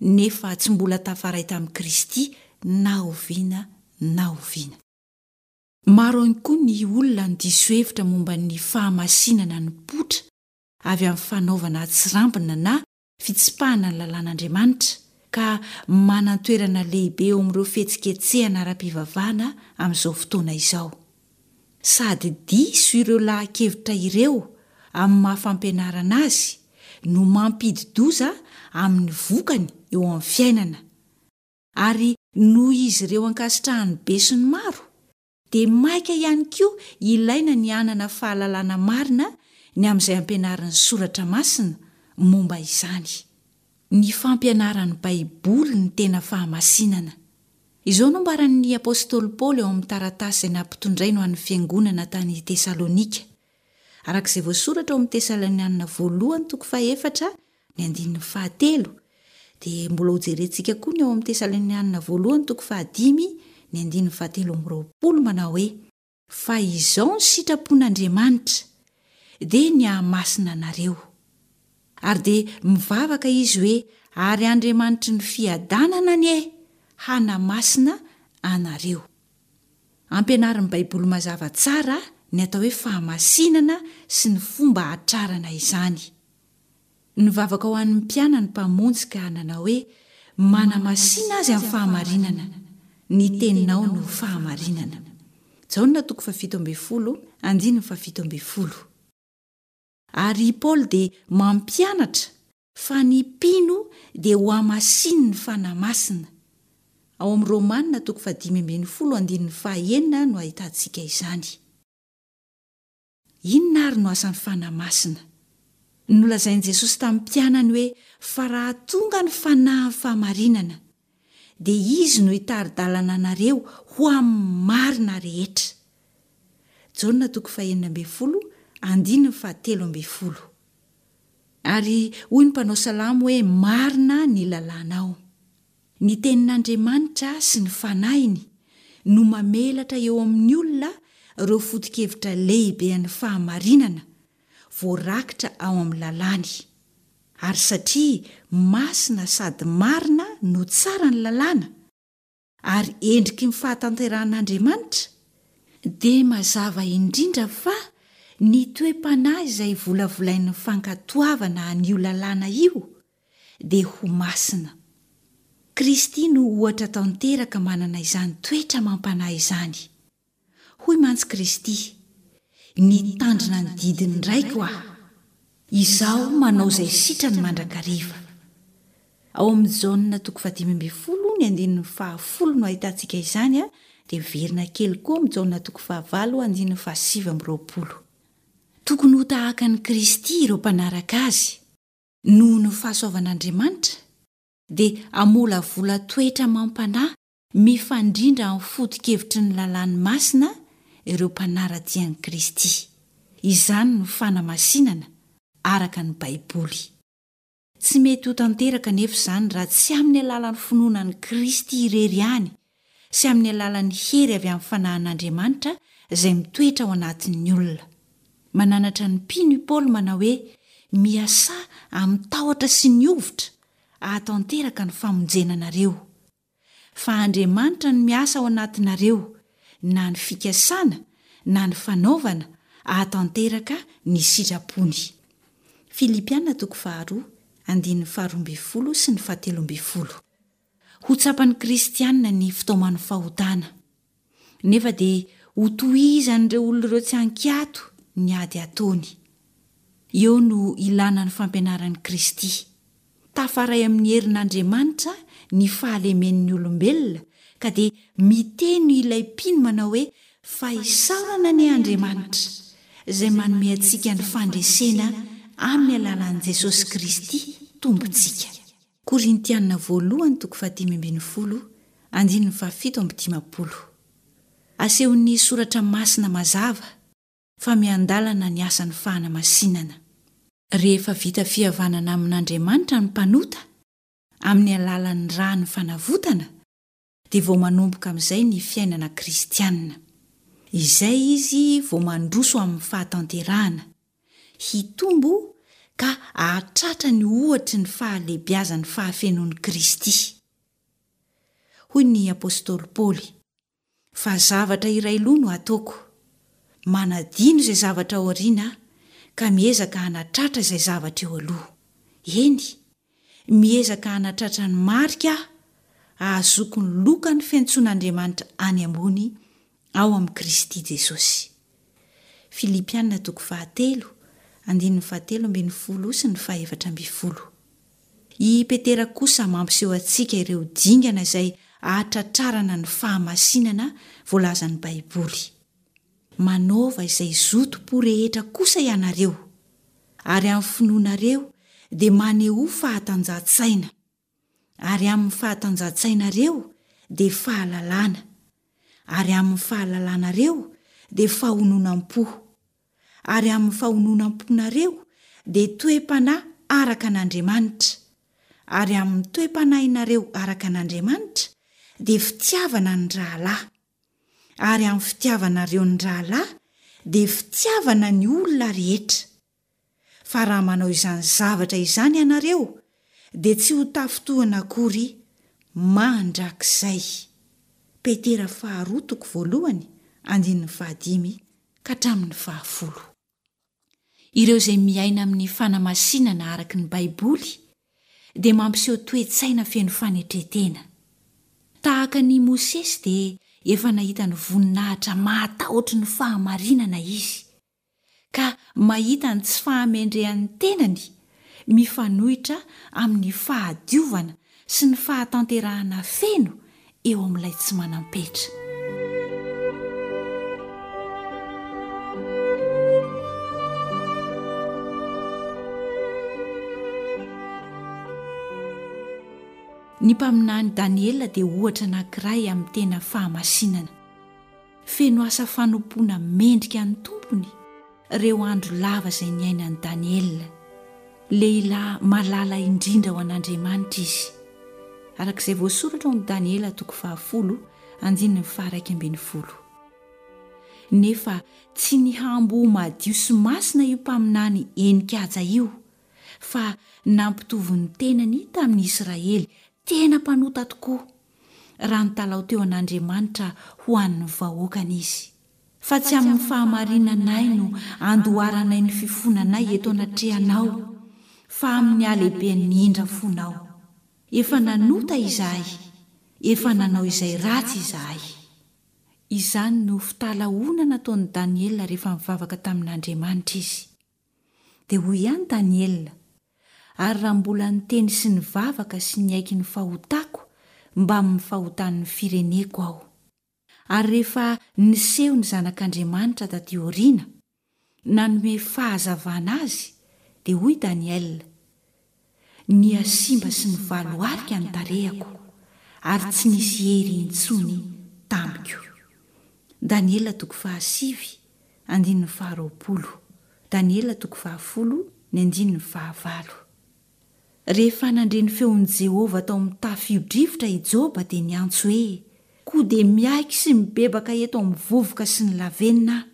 Speaker 3: nefa tsy mbola tafaray tamin'i Kristy na oviana na oviana. Maro ihany koa ny olona no diso hevitra momba ny fahamasinana nipoitra avy amin'ny fanaovana atsirambina na fitsipahana ny lalàn'Andriamanitra, ka manan-toerana lehibe eo amin'ireo fihetsiketsehana ara-pivavahana amin'izao fotoana izao. Sady diso ireo laha-kevitra ireo amin'ny maha-fampianarana azy no mampidi-doza amin'ny vokany eo amin'ny fiainana, ary noho izy ireo ankasitrahan'ny besinimaro, dia maika ihany koa ilaina ny hanana fahalalana marina ny amin'izay ampianarin'ny Soratra Masina momba izany. Ny fampianaran'ny Baiboly ny tena fahamasinana. Izao no ambaran'ny apostoly Paoly ao amin'ny taratasy izay nampitondrainy ho an'ny fiangonana tany Tesalonika, araka izay voasoratra ao amin'ny Tesalonianina voalohany toko fahefatra ny andininy fahatelo, dia mbola hojerentsika koa ny ao amin'ny Tesalonianina voalohany toko fahadimy ny andininy fahatelo amby roapolo manao hoe, Fa izao ny sitrapon'Andriamanitra, dia ny hahamasina anareo. Ary dia mivavaka izy hoe, Ary Andriamanitry ny fiadanana anie hanamasina anareo. Ampianarin'ny Baiboly mazava tsara ny atao hoe fahamasinana sy ny fomba hahatrarana izany. Nivavaka ho an'ny mpianany ny Mpamonjy ka nanao hoe, Manamasina azy amin'ny fahamarinana, ny teninao no fahamarinana. Jaona toko fahafito ambin'ny folo, andininy fahafito ambin'ny folo. Ary i Paoly dia mampianatra fa ny mpino dia hohamasinin'ny Fanahy Masina. Ao amin'ny Romana toko fahadimy ambin'ny folo andininy fahaenina no ahitantsika izany. Inona àry no asan'ny Fanahy Masina? Nolazain'i Jesosy tamin'ny mpianany hoe fa raha tonga ny Fanahin'ny fahamarinana, dia Izy no hitari-dalana anareo ho amin'ny marina rehetra. Jaona toko fahenina ambin'ny folo andininy fahatelo ambin'ny folo. Ary hoy ny mpanao salamo hoe marina ny lalànao. Ny tenin'Andriamanitra sy ny fanahiny no mamelatra eo amin'ny olona ireo foto-kevitra lehibe an'ny fahamarinana voarakitra ao amin'ny lalàny. Ary satria masina sady marina no tsara ny lalàna, ary endriky ny fahatanterahan'Andriamanitra, dia mazava indrindra fa ny toe-panahy izay volavolain'ny fankatoavana an'io lalàna io dia ho masina. Kristy no ohatra tanteraka manana izany toetra amam-panahy izany. Hoy mantsy Kristy, Nitandrina ny didin'ny Raiko aho. Izaho manao izay sitrany mandrakariva. Ao amin'ny Jaona toko fahadimy ambin'ny folo ny andininy fahafolo no ahitantsika izany, dia miverina kely koa amin'ny Jaona toko fahavalo andininy fahasivy amby roapolo. Tokony ho tahaka an'i Kristy ireo mpanaraka azy. Noho ny fahasoavan'Andriamanitra, dia hamolavola toetra amam-panahy mifandrindra amin'ny foto-kevitry ny lalàny masina ireo mpanara-dia an'i Kristy. Izany no fanamasinana, araka ny Baiboly. Tsy mety ho tanteraka anefa izany raha tsy amin'ny alalan'ny finoana an'i Kristy irery ihany sy amin'ny alalan'ny hery avy amin'ny Fanahin'Andriamanitra izay mitoetra ao anatin'ny olona. Mananatra ny mpino i Paoly manao hoe, Miasà amin'ny tahotra sy ny hovitra hahatanteraka ny famonjena anareo. Fa Andriamanitra no miasa ao anatinareo, na ny fikasana na ny fanaovana hahatanteraka ny sitrapony. Filipiana toko faharoa, andininy faharoa ambin'ny folo sy ny fahatelo ambin'ny folo. Ho tsapan'ny kristiana ny fitaoman'ny fahotana. Nefa dia hotohizan'ireo olona ireo tsy an-kiato ny ady ataony. Eo no ilana ny fampianaran'i Kristy. Tafaray amin'ny herin'Andriamanitra ny fahalemen'ny olombelona ka dia miteny ilay mpino manao hoe fa isaorana anie Andriamanitra izay manome antsika ny fandresena amin'ny alalan'i Jesosy Kristy Tompontsika. Korintiana voalohany toko fahadimy ambin'ny folo andininy fahafito amby dimampolo. Asehon'ny Soratra Masina mazava fa miandalana ny asan'ny fahanamasinana. Rehefa vita fihavanana amin'Andriamanitra ny mpanota, amin'ny alalan'ny ràn'ny fanavotana, dia vao manomboka amin'izay ny fiainana kristiana. Izay izy vao mandroso amin'ny fahatanterahana, hitombo ka hahatratra ny ohatry ny fahalehibiazan'ny fahafenoan'i Kristy. Hoy ny apostoly Paoly, Fa zavatra iray loha no ataoko, manadino izay zavatra aoriana aho ka miezaka hanatratra izay zavatra eo aloha. Eny, miezaka hanatratra ny marika aho, hahazoako ny lokan'ny fiantsoan'Andriamanitra any ambony ao amin'i Kristy Jesosy. Filipiana toko fahatelo, andininy fahatelo ambin'ny folo sy ny fahefatra ambin'ny folo. I Petera kosa mampiseho antsika ireo dingana izay ahatratrarana ny fahamasinana voalazan'ny Baiboly. Manaova izay zotom-po rehetra kosa ianareo, ary amin'ny finoanareo dia manehoa fahatanjahan-tsaina. Ary amin'ny fahatanjahan-tsainareo dia fahalalana, ary amin'ny fahalalanareo dia fahononam-po, ary amin'ny fahononam-ponareo dia toe-panahy araka an'Andriamanitra, ary amin'ny toe-panahinareo araka an'Andriamanitra dia fitiavana ny rahalahy, ary amin'ny fitiavanareo ny rahalahy dia fitiavana ny olona rehetra. Fa raha manao izany zavatra izany ianareo, dia tsy ho tafintohina akory mandrakizay. Petera faharoa toko voalohany, andininy fahadimy ka hatramin'ny fahafolo. Ireo izay miaina amin'ny fanamasinana araka ny Baiboly dia mampiseho toe-tsaina feno fanetren-tena. Tahaka an'i Mosesy dia efa nahita ny voninahitra mahatahotry ny fahamarinana izy. ka mahita ny tsy fahamendrehan'ny tenany mifanohitra amin'ny fahadiovana sy ny fahatanterahana feno eo amin'ilay tsy manam-petra. Ny mpaminany Daniela dia ohatra anankiray amin'ny tena fahamasinana. Feno asa fanompoana mendrika ny Tompony ireo andro lava izay niainan'i Daniela. Lehilahy malala indrindra ho an'Andriamanitra izy. Araka izay voasoratra ao amin'ny Daniela toko fahafolo andininy faharaika ambin'ny folo. Nefa tsy nihambo ho madio sy masina io mpaminany henin-kaja io, fa nampitovy ny tenany tamin'ny Israely tena mpanota tokoa, raha nitalaho teo an'Andriamanitra ho an'ny vahoakany izy. Fa tsy amin'ny fahamarinanay no andoharanay ny fifonanay eto anatrehanao, fa amin'ny halehiben'ny indra fonao. Efa nanota izahay, efa nanao izay ratsy izahay. Izany no fitalahoana nataon'i Daniela rehefa nivavaka tamin'Andriamanitra izy. Dia hoy ihany Daniela, Ary raha mbola niteny sy nivavaka sy niaiky ny fahotako mbamin'ny fahotan'ny fireneko aho. Ary rehefa niseho ny Zanak'Andriamanitra taty aoriana, nanome fahazavana azy, dia hoy Daniela, Nihasimba sy nivaloarika ny tarehako, ary tsy nisy hery intsony tamiko. Daniela toko fahasivy, andininy faharoapolo. Daniela toko fahafolo, ny andininy fahavalo. Rehefa nandre ny feon'i Jehovah tao amin'ny tafio-drivotra i Joba dia niantso hoe, Koa dia miaiky sy mibebaka eto amin'ny vovoka sy ny lavenona aho.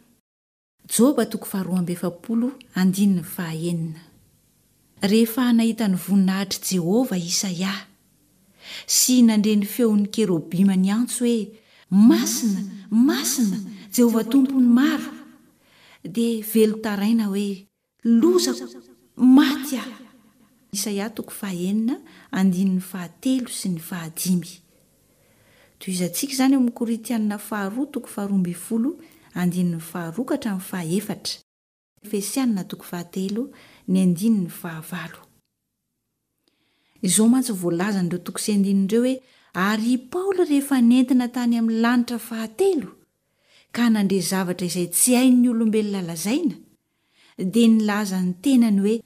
Speaker 3: Joba toko faharoa amby efapolo andininy fahaenina. Rehefa nahita ny voninahitr'i Jehovah i Isaia, sy nandre ny feon'ny kerobima niantso hoe, Masina, masina, Jehovah Tompon'ny maro! dia velon-taraina hoe, Lozako! Maty aho! Isaia toko fahaenina andininy fahatelo sy ny fahadimy. Tohizantsika izany ao amin'ny Korintiana faharoa toko faharoa ambin'ny folo andininy faharoa ka hatramin'ny fahaefatra, Efesiana toko fahatelo ny andininy fahavalo. Izao mantsy voalazan'ireo toko sy andininy ireo hoe, Ary i Paoly rehefa nentina tany amin'ny lanitra fahatelo, ka nandre zavatra izay tsy hain'ny olombelona lazaina, dia nilaza ny tenany hoe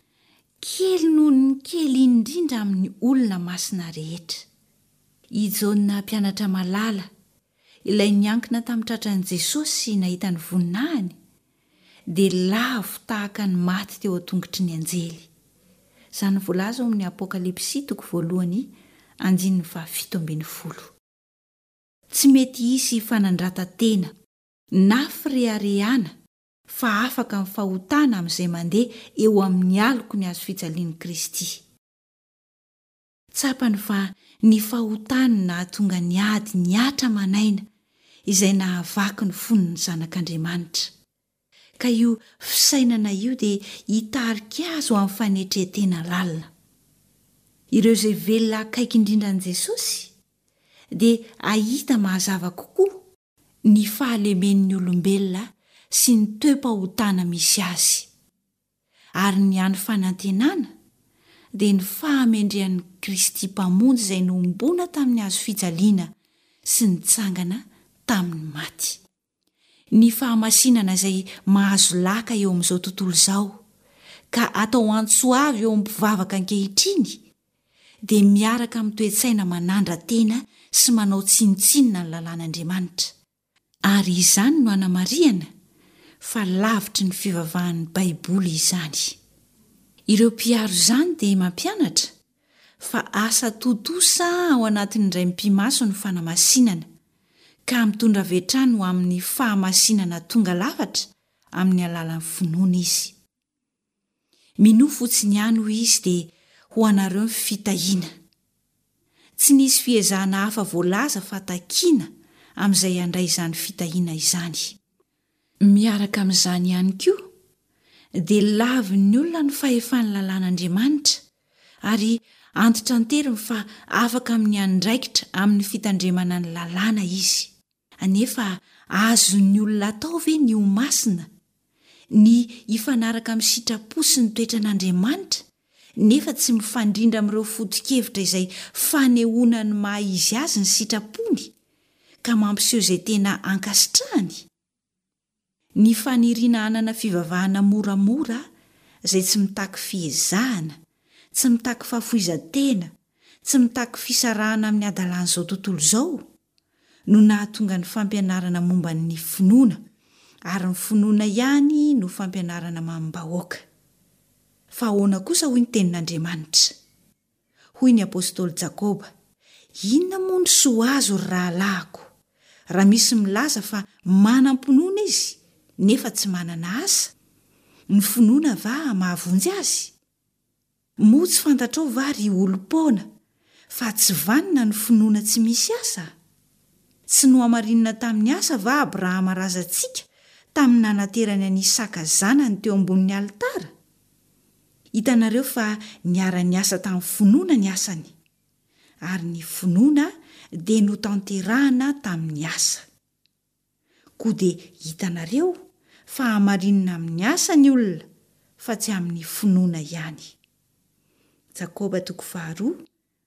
Speaker 3: kely noho ny kely indrindra amin'ny olona masina rehetra. I Jaona mpianatra malala, ilay niankina tamin'ny tratran'i Jesosy sy nahita ny voninahiny, dia lavo tahaka ny maty teo an-tongotry ny anjely. Izany voalaza ao amin'ny Apokalypsy toko voalohany andininy fahafito ambin'ny folo. Tsy mety hisy fanandratan-tena na fireharehana fa afaka amin'ny fahotana amin'izay mandeha eo amin'ny aloky ny hazofijalian'i Kristy. Tsapany fa ny fahotany no nahatonga ny ady nihatra aman'aina izay nahavaky ny fon'ny zanak'Andriamanitra. Ka io fisainana io dia hitarika azy ho amin'ny fanetren-tena lalina. Ireo izay velona akaiky indrindra an'i Jesosy dia hahita mazava kokoa ny fahalemen'ny olombelona sy ny toe-pahotana misy azy. Ary ny hany fanantenana dia ny fahamendrehan'i Kristy Mpamonjy izay nohomboana tamin'ny hazo fijaliana sy nitsangana tamin'ny maty. Ny fahamasinana izay mahazo laka eo amin'izao tontolo izao ka atao antso avy eo amin'ny mpivavaka ankehitriny dia miaraka amin'ny toe-tsaina manandra-tena sy manao tsinontsinona ny lalàn'Andriamanitra, ary izany no anamarihana fa lavitry ny fivavahan'ny Baiboly izany. Ireo mpiaro izany dia mampianatra fa asa tontosa ao anatin'ny indray mipi-maso ny fanamasinana, ka mitondra avy hatrany ho amin'ny fahamasinana tonga lafatra amin'ny alalan'ny finoana izy. Minoa fotsiny ihany hoy izy dia ho anareo ny fitahiana. Tsy nisy fiezahana hafa voalaza fa takiana amin'izay handray izany fitahiana izany. Miaraka amin'izany ihany koa dia lavin'ny olona ny fahefan'ny lalàn'Andriamanitra ary antitranteriny fa afaka amin'ny andraikitra amin'ny fitandremana ny lalàna izy. Anefa azon'ny olona atao ve ny ho masina, ny hifanaraka amin'ny sitrapo sy ny toetran'Andriamanitra, nefa tsy mifandrindra amin'ireo foto-kevitra izay fanehoana ny maha izy azy ny sitrapony, ka mampiseho izay tena ankasitrahany? Ny faniriana hanana fivavahana moramora izay tsy mitaky fiezahana, tsy mitaky fahafoizan-tena, tsy mitaky fisarahana amin'ny hadalan'izao tontolo izao, no nahatonga ny fampianarana momba ny finoana, ary ny finoana ihany no fampianarana mamim-bahoaka. Fa ahoana kosa hoy ny Tenin'Andriamanitra? Hoy ny apostoly Jakoba, Inona moa no soa azo, ry rahalahiko, raha misy milaza fa manam-pinoana izy, nefa tsy manana asa, ny finoana va mahavonjy azy? Moa tsy fantatrao va ry olom-poana fa tsy vanona ny finoana tsy misy asa? Tsy nohamarinina tamin'ny asa va Abrahama razantsika tamin'ny nanaterany an'i Isaka zanany teo ambonin'ny alitara? Hitanareo fa niara-niasa tamin'ny finoana ny asany, ary ny finoana dia notanterahana tamin'ny asa. Koa dia hitanareo fa hamarinina amin'ny asa ny olona fa tsy amin'ny finoana ihany. Jakoba toko faharoa,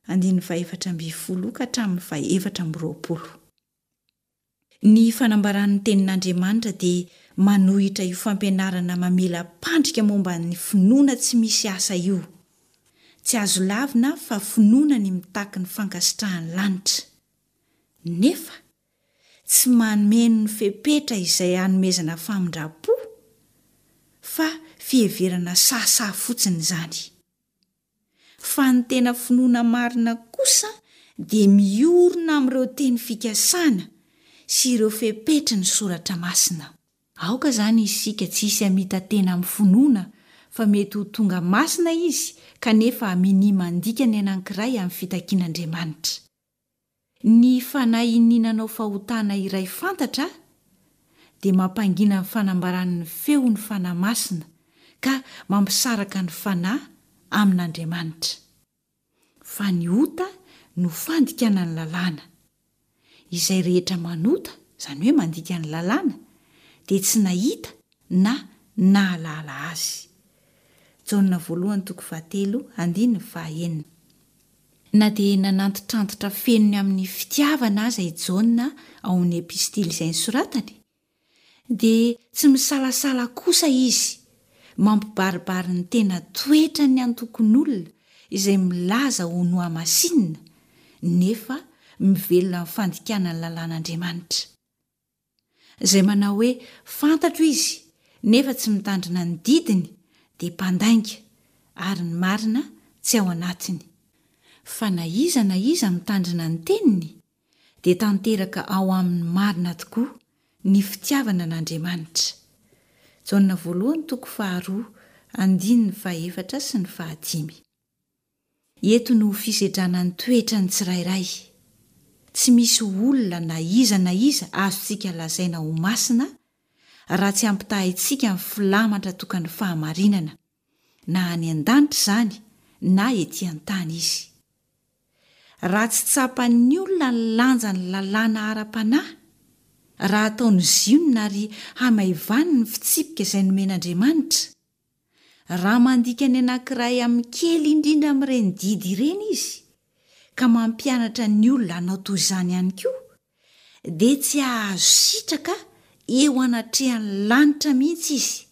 Speaker 3: andininy fahefatra ambin'ny folo ka hatramin'ny fahefatra amby roapolo. Ny fanambaran'ny Tenin'Andriamanitra dia manohitra io fampianarana mamela-pandrika momba ny finoana tsy misy asa io. Tsy azo lavina fa finoana ny mitaky ny fankasitrahan'ny lanitra. Nefa, tsy mameno ny fepetra izay hanomezana famindram-po fa fiheverana sahasaha fotsiny izany. Fa ny tena finoana marina kosa dia miorina amin'ireo teny fikasana sy ireo fepetry ny Soratra Masina. Aoka izany isika tsy hisy hamita-tena amin'ny finoana fa mety ho tonga masina izy kanefa minia mandika ny anankiray amin'ny fitakian'Andriamanitra. Ny fanahy iniana nanao fahotana iray fantatra dia mampangina ny fanambaran'ny feon'ny Fanahy Masina ka mampisaraka ny fanahy amin'Andriamanitra. Fa ny ota no fandikana ny lalàna. Izay rehetra manota, izany hoe mandika ny lalàna, dia tsy nahita na nahalala azy. Jaona voalohany toko fahatelo andininy fahaenina. Na dia nanantitrantitra feno ny amin'ny fitiavana aza i Jaona ao amin'ny epistily izay nosoratany, dia tsy misalasala kosa izy mampibaribary ny tena toetran'ny antokon'olona izay milaza ho nohamasinina nefa mivelona amin'ny fandikana ny lalàn'Andriamanitra. Izay manao hoe fantatro izy nefa tsy mitandrina ny didiny dia mpandainga ary ny marina tsy ao anatiny. Fa na iza na iza mitandrina ny teniny dia tanteraka ao aminy marina tokoa ny fitiavana an'Andriamanitra. Jaona voalohany toko faharoa andininy fahefatra sy ny fahadimy. Eto no fisedrana ny toetran'ny tsirairay. Tsy misy olona na iza na iza azontsika lazaina ho masina raha tsy ampitahaintsika amin'ny filamatra tokan'ny fahamarinana, na any an-danitra izany na ety an-tany izy. Raha tsy tsapan'ny olona ny lanjan'ny lalàna ara-panahy, raha ataony zionona ary hamaivaniny ny fitsipika izay nomen'Andriamanitra, Raha mandika ny anankiray amin'ny kely indrindra amin'ireny didy ireny izy, ka mampianatra ny olona hanao toy izany ihany koa, dia tsy hahazo sitraka eo anatrehan'ny lanitra mihitsy izy,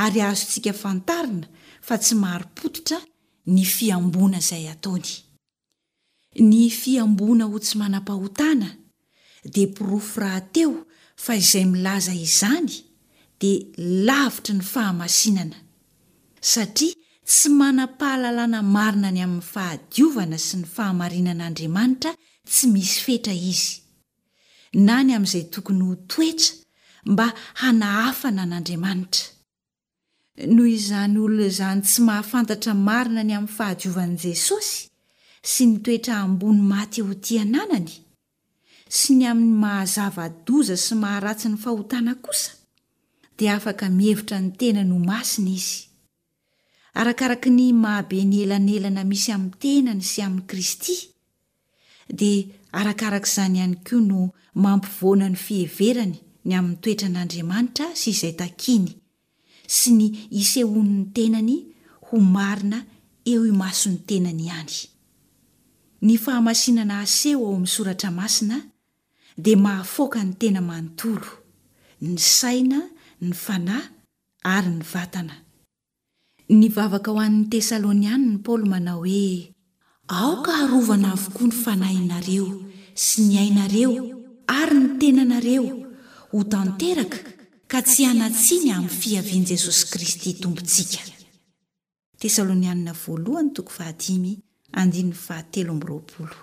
Speaker 3: ary azontsika fantarina fa tsy marim-pototra ny fihamboana izay ataony. Ny fihamboana ho tsy manam-pahotana dia porofo rahateo fa izay milaza izany dia lavitry ny fahamasinana, satria tsy manam-pahalalana marina ny amin'ny fahadiovana sy ny fahamarinan'Andriamanitra tsy misy fetra izy, na ny amin'izay tokony ho toetra mba hanahafana an'Andriamanitra. Noho izany olona izany tsy mahafantatra marina ny amin'ny fahadiovan'i Jesosy sy ny toetra ambony maty ho tia ananany, sy ny amin'ny maha-zava-doza sy maharatsy ny fahotana kosa, dia afaka mihevitra ny tenany ho masina izy. Arakaraky ny maha-be ny elanelana misy amin'ny tenany sy amin'i Kristy, dia arakaraka izany ihany koa no mampivoana ny fiheverany ny amin'ny toetran'Andriamanitra sy izay takiny, sy ny isehoan'ny tenany ho marina eo imason'ny tenany ihany. Ny fahamasinana aseho ao amin'ny Soratra Masina dia mahafaoka ny tena manontolo, ny saina, ny fanahy ary ny vatana. Nivavaka ho an'ny Tesalonianina Paoly manao hoe, Aoka harovana avokoa ny fanahinareo sy ny ainareo ary ny tenanareo ho tanteraka ka tsy hanan-tsiny amin'ny fiavian'i Jesosy Kristy Tompontsika. Tesalonianina voalohany toko fahadimy andininy fahatelo amby roapolo.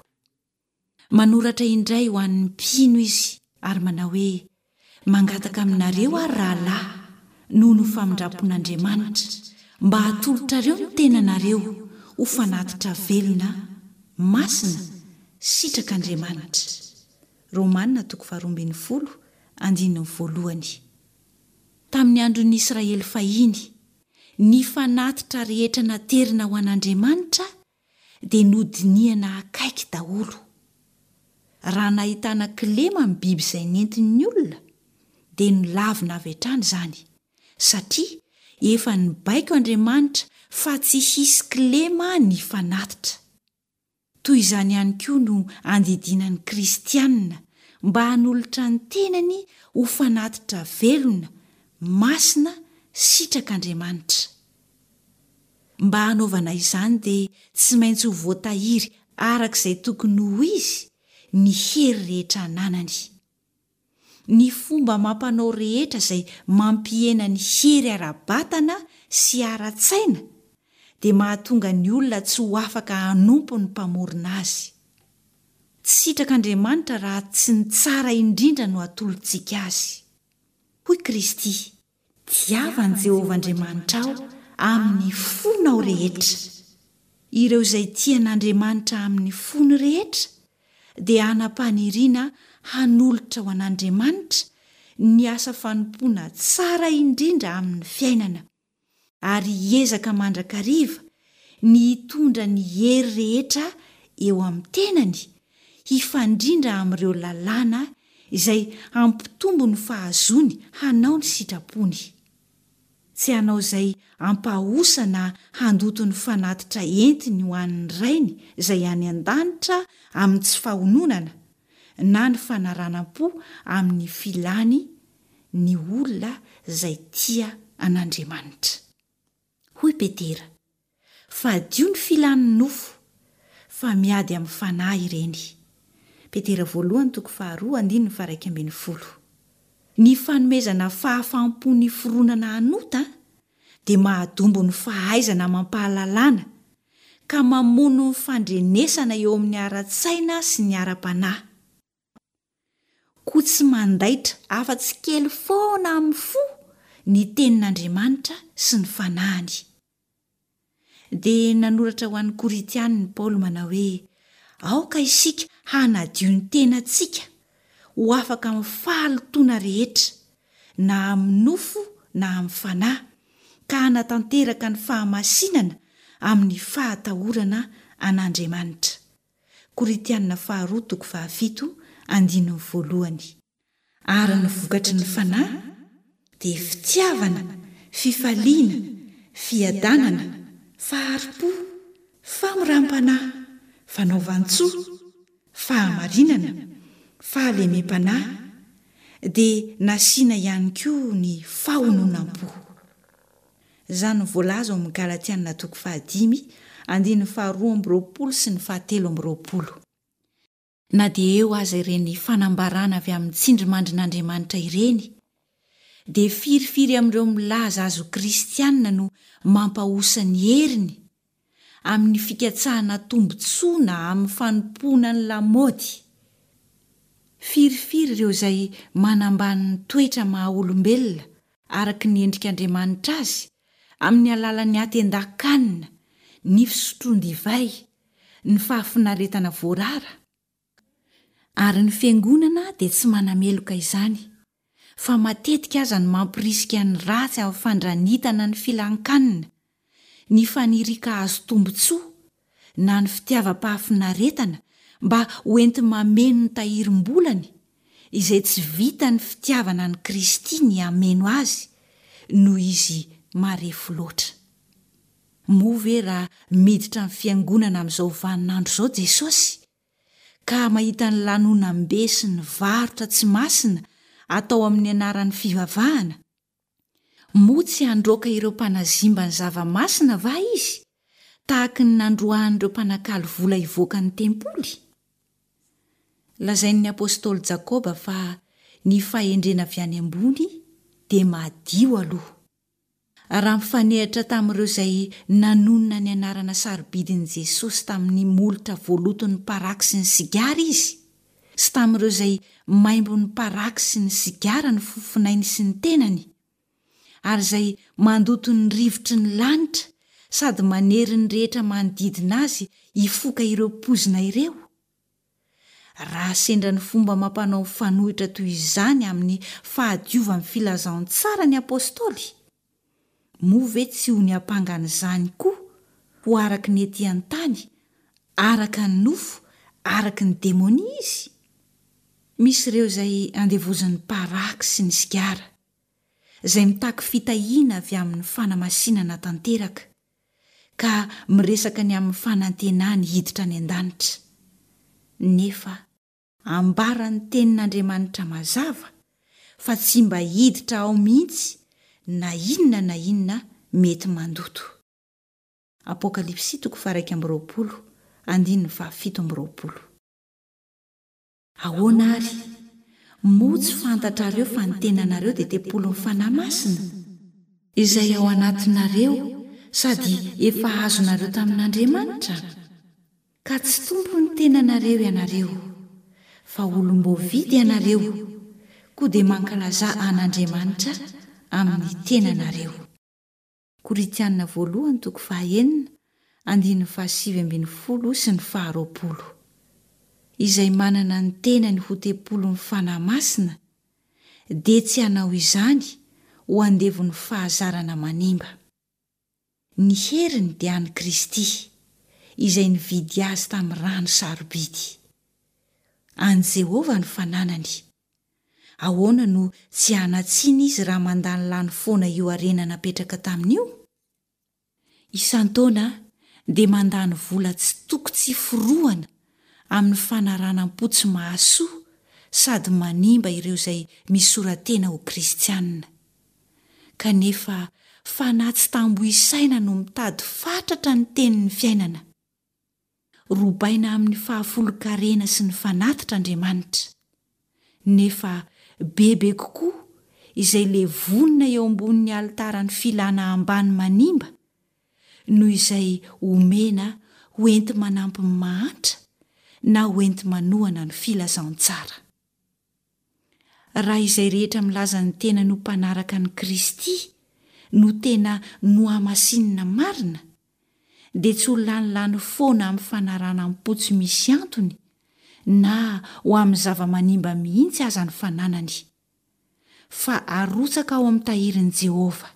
Speaker 3: Manoratra indray ho an'ny mpino izy ary manao hoe, Mangataka aminareo aho, ry rahalahy, noho ny famindram-pon'Andriamanitra, mba hatolotrareo ny tenanareo ho fanatitra velona, masina, sitrak'Andriamanitra. Romana toko faharoa ambin'ny folo, andininy voalohany. Tamin'ny andron'ny Israely fahiny, ny fanatitra rehetra naterina ho an'Andriamanitra dia nodinihana akaiky daholo. Raha nahitana kilema ny biby izay nentin'ny olona, dia nolavina avy hatrany izany, satria efa nibaiko Andriamanitra fa tsy hisy kilema ny fanatitra. Toy izany ihany koa no andidiana ny kristiana mba hanolotra ny tenany ho fanatitra velona, masina, sitrak'Andriamanitra. Mba hanaovana izany dia tsy maintsy ho voatahiry araka izay tokony ho izy ny hery rehetra ananany. Ny fomba amam-panao rehetra izay mampihena ny hery ara-batana sy ara-tsaina dia mahatonga ny olona tsy ho afaka hanompo ny Mpamorona azy. Tsy sitrak'Andriamanitra raha tsy ny tsara indrindra no atolotsika azy. Hoy Kristy, Tiava an'i Jehovah Andriamanitrao amin'ny fonao rehetra. Ireo izay tia an'Andriamanitra amin'ny fony rehetra dia hanam-paniriana hanolotra ho an'Andriamanitra ny asa fanompoana tsara indrindra amin'ny fiainana, ary hiezaka mandrakariva ny hitondra ny hery rehetra eo amin'ny tenany hifandrindra amin'ireo lalàna izay hampitombo ny fahazoany hanao ny sitrapony. Tsy hanao izay hampahosa na handoto ny fanatitra entiny ho an'ny Rainy izay any an-danitra amin'ny tsy fahononana na ny fanaranam-po amin'ny filany ny olona izay tia an'Andriamanitra. Hoy Petera, Fadio ny filan'ny nofo, fa miady amin'ny fanahy ireny. Petera voalohany toko faharoa andininy faharaika ambin'ny folo. Ny fanomezana fahafaham-po ny fironana hanota dia mahadombo ny fahaizana amam-pahalalana ka mamono ny fandrenesana eo amin'ny ara-tsaina sy ny ara-panahy. Koa tsy mandaitra afa-tsy kely foana amin'ny fo ny Tenin'Andriamanitra sy ny Fanahiny. Dia nanoratra ho an'ny Korintiana i Paoly manao hoe, Aoka isika hanadio ny tenantsika ho afaka amin'ny fahalotoana rehetra, na amin'ny nofo na amin'ny fanahy, ka hanatanteraka ny fahamasinana amin'ny fahatahorana an'Andriamanitra. Korintiana faharoa toko fahafito andininy voalohany. Ary ny vokatry ny Fanahy dia fitiavana, fifaliana, fiadanana, fahari-po, famoram-panahy, fanaovan-tsoa, fahamarinana, fahalemem-panahy, dia nasiana ihany koa ny fahononam-po. Izany no voalaza ao amin'ny Galatiana toko fahadimy, andininy faharoa amby roapolo sy ny fahatelo amby roapolo. Na dia eo aza ireny fanambarana avy amin'ny tsindrimandrin'Andriamanitra ireny, dia firifiry amin'ireo milaza azy ho kristiana no mampahosa ny heriny amin'ny fikatsahana tombontsoa na amin'ny fanompoana ny lamaody. Firifiry ireo izay manambany ny toetra maha-olombelona araka ny endrik'Andriamanitra azy amin'ny alalan'ny hatendan-kanina, ny fisotroan-divay, ny fahafinaretana voarara. Ary ny Fiangonana dia tsy manameloka izany, fa matetika aza no mampirisika ny ratsy amin'ny fandranitana ny filan-kanina, ny fanirian-kahazo tombontsoa, na ny fitiavam-pahafinaretana mba ho enti-mameno ny tahirim-bolany, izay tsy vitan'ny fitiavana an'i Kristy ny hameno azy, noho izy marefo loatra. Moa ve raha miditra ny fiangonana amin'izao vaninandro izao Jesosy, ka mahita ny lanonam-be sy ny varotra tsy masina atao amin'ny anaran'ny fivavahana, Moa tsy handroaka ireo mpanazimba ny zava-masina va izy, tahaky ny nandroahan'ireo mpanakalo vola hivoaka ny tempoly? Lazain'ny apostoly Jakoba fa ny fahendrena avy any ambony dia madio aloha. Raha mifanehatra tamin'ireo izay nanonona ny anarana sarobidin'i Jesosy tamin'ny molotra voaloton'ny paraky sy ny sigara izy, sy tamin'ireo izay maimbon'ny paraky sy ny sigara ny fofonainy sy ny tenany, ary izay mandoto ny rivotry ny lanitra sady manery ny rehetra manodidina azy hifoka ireo poizina ireo? Raha sendra ny fomba amam-panao mifanohitra toy izany amin'ny fahadiovan'ny filazantsara ny apostoly, moa ve tsy ho niampanga an'izany koa ho araka ny ety an-tany, araka ny nofo, araka ny demonia izy? Misy ireo izay andevozin'ny paraky sy ny sigara, izay mitaky fitahiana avy amin'ny fanamasinana tanteraka, ka miresaka ny amin'ny fanantenany hiditra any an-danitra. Nefa ambaran'ny Tenin'Andriamanitra mazava fa tsy mba hiditra ao mihitsy na inona na inona mety mandoto. Apokalypsy toko faha-iraika amby roapolo, andininy fahafito amby roapolo. Ahoana àry? Moa tsy fantatrareo fa ny tenanareo dia tempolin'ny Fanahy Masina, izay ao anatinareo sady efa azonareo tamin'Andriamanitra? Ka tsy tompon'ny tenanareo ianareo, fa olom-boavidy ianareo, koa dia mankalazà an'Andriamanitra amin'ny tenanareo. Korintiana voalohany toko fahaenina, andininy fahasivy ambin'ny folo sy ny faharoapolo. Izay manana ny tenany ho tempolin'ny Fanahy Masina dia tsy hanao izany ho andevon'ny fahazarana manimba. Ny heriny dia an'i Kristy, izay nividy azy tamin'ny rano sarobidy. An'i Jehovah ny fananany. Ahoana no tsy hanan-tsiny izy raha mandanilany foana io harena napetraka taminy io? Isan-taona dia mandany vola tsy toko tsy forohana amin'ny fanaranam-po tsy mahasoa sady manimba ireo izay misora-tena ho kristiana. Kanefa fanahy tsy tambo isaina no mitady fatratra ny tenin'ny fiainana. Robaina amin'ny fahafolon-karena sy ny fanatitra Andriamanitra. Nefa bebe kokoa izay levonina eo ambonin'ny alitaran'ny filana ambany manimba noho izay omena ho enti-manampy ny mahantra na ho enti-manohana ny filazantsara. Raha izay rehetra milaza ny tenany ho mpanaraka an'i Kristy no tena nohamasinina marina, dia tsy ho lanilany foana amin'ny fanaranam-po tsy misy antony na ho amin'ny zava-manimba mihitsy aza ny fananany, fa arotsaka ao amin'ny tahirin'i Jehovah.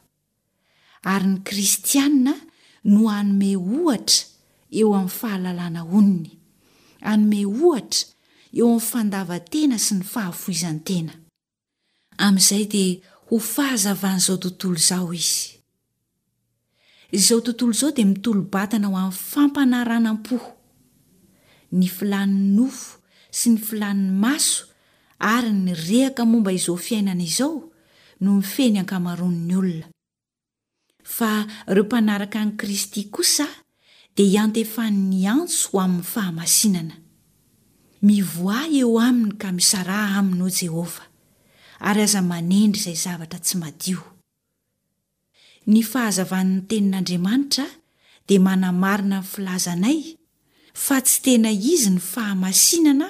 Speaker 3: Ary ny Kristiana no hanome ohatra eo amin'ny fahalalana onony, hanome ohatra eo amin'ny fandavan-tena sy ny fahafoizan-tena. Amin'izay dia ho fahazavan'izao tontolo izao izy. Izao tontolo izao dia mitolo-batana ho amin'ny fampanaranam-po. Ny filàn'ny nofo sy ny filàn'ny maso ary ny rehaka momba izao fiainana izao no mifehy ny ankamaroan'ny olona. Fa ireo mpanaraka an'i Kristy kosa dia iantefan'ny antso ho amin'ny fahamasinana. Mivoaha eo aminy ka misaraha aminy, hoy Jehovah, ary aza manendry izay zavatra tsy madio. Ny fahazavan'ny Tenin'Andriamanitra dia manamarina ny filazanay fa tsy tena izy ny fahamasinana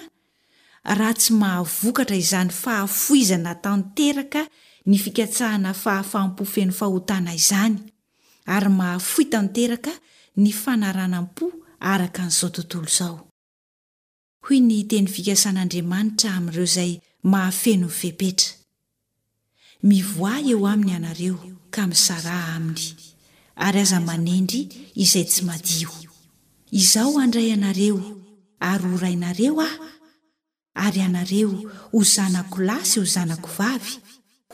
Speaker 3: raha tsy mahavokatra izany fahafoizana tanteraka ny fikatsahana fahafaham-po feno fahotana izany ary mahafoy tanteraka ny fanaranam-po araka an'izao tontolo izao. Hoy ny teny fikasan'Andriamanitra amin'ireo izay mahafeno ny fepetra, Mivoaha eo aminy ianareo ka misaraha aminy, ary aza manendry izay tsy madio. Izaho handray anareo ary ho rainareo Aho, ary ianareo ho zanako lahy sy ho zanako vavy,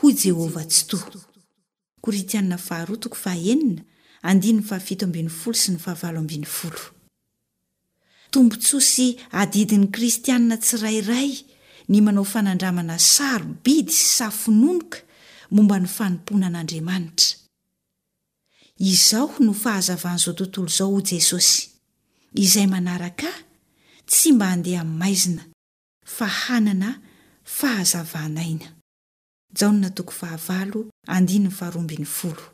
Speaker 3: hoy Jehovah Tsitoha. Korintiana faharoa toko fahaenina, andininy fahafito ambin'ny folo sy ny fahavalo ambin'ny folo. Tombontsoa sy adidin'ny kristiana tsirairay ny manao fanandramana sarobidy sy safononoka momba ny fanompoana an'Andriamanitra. Izaho no fahazavan'izao tontolo izao hoy Jesosy. Izay manaraka Ahy tsy mba handeha amin'ny maizina fa hanana fahazavan'aina. Jaona toko fahavalo andininy faharoa ambin'ny folo.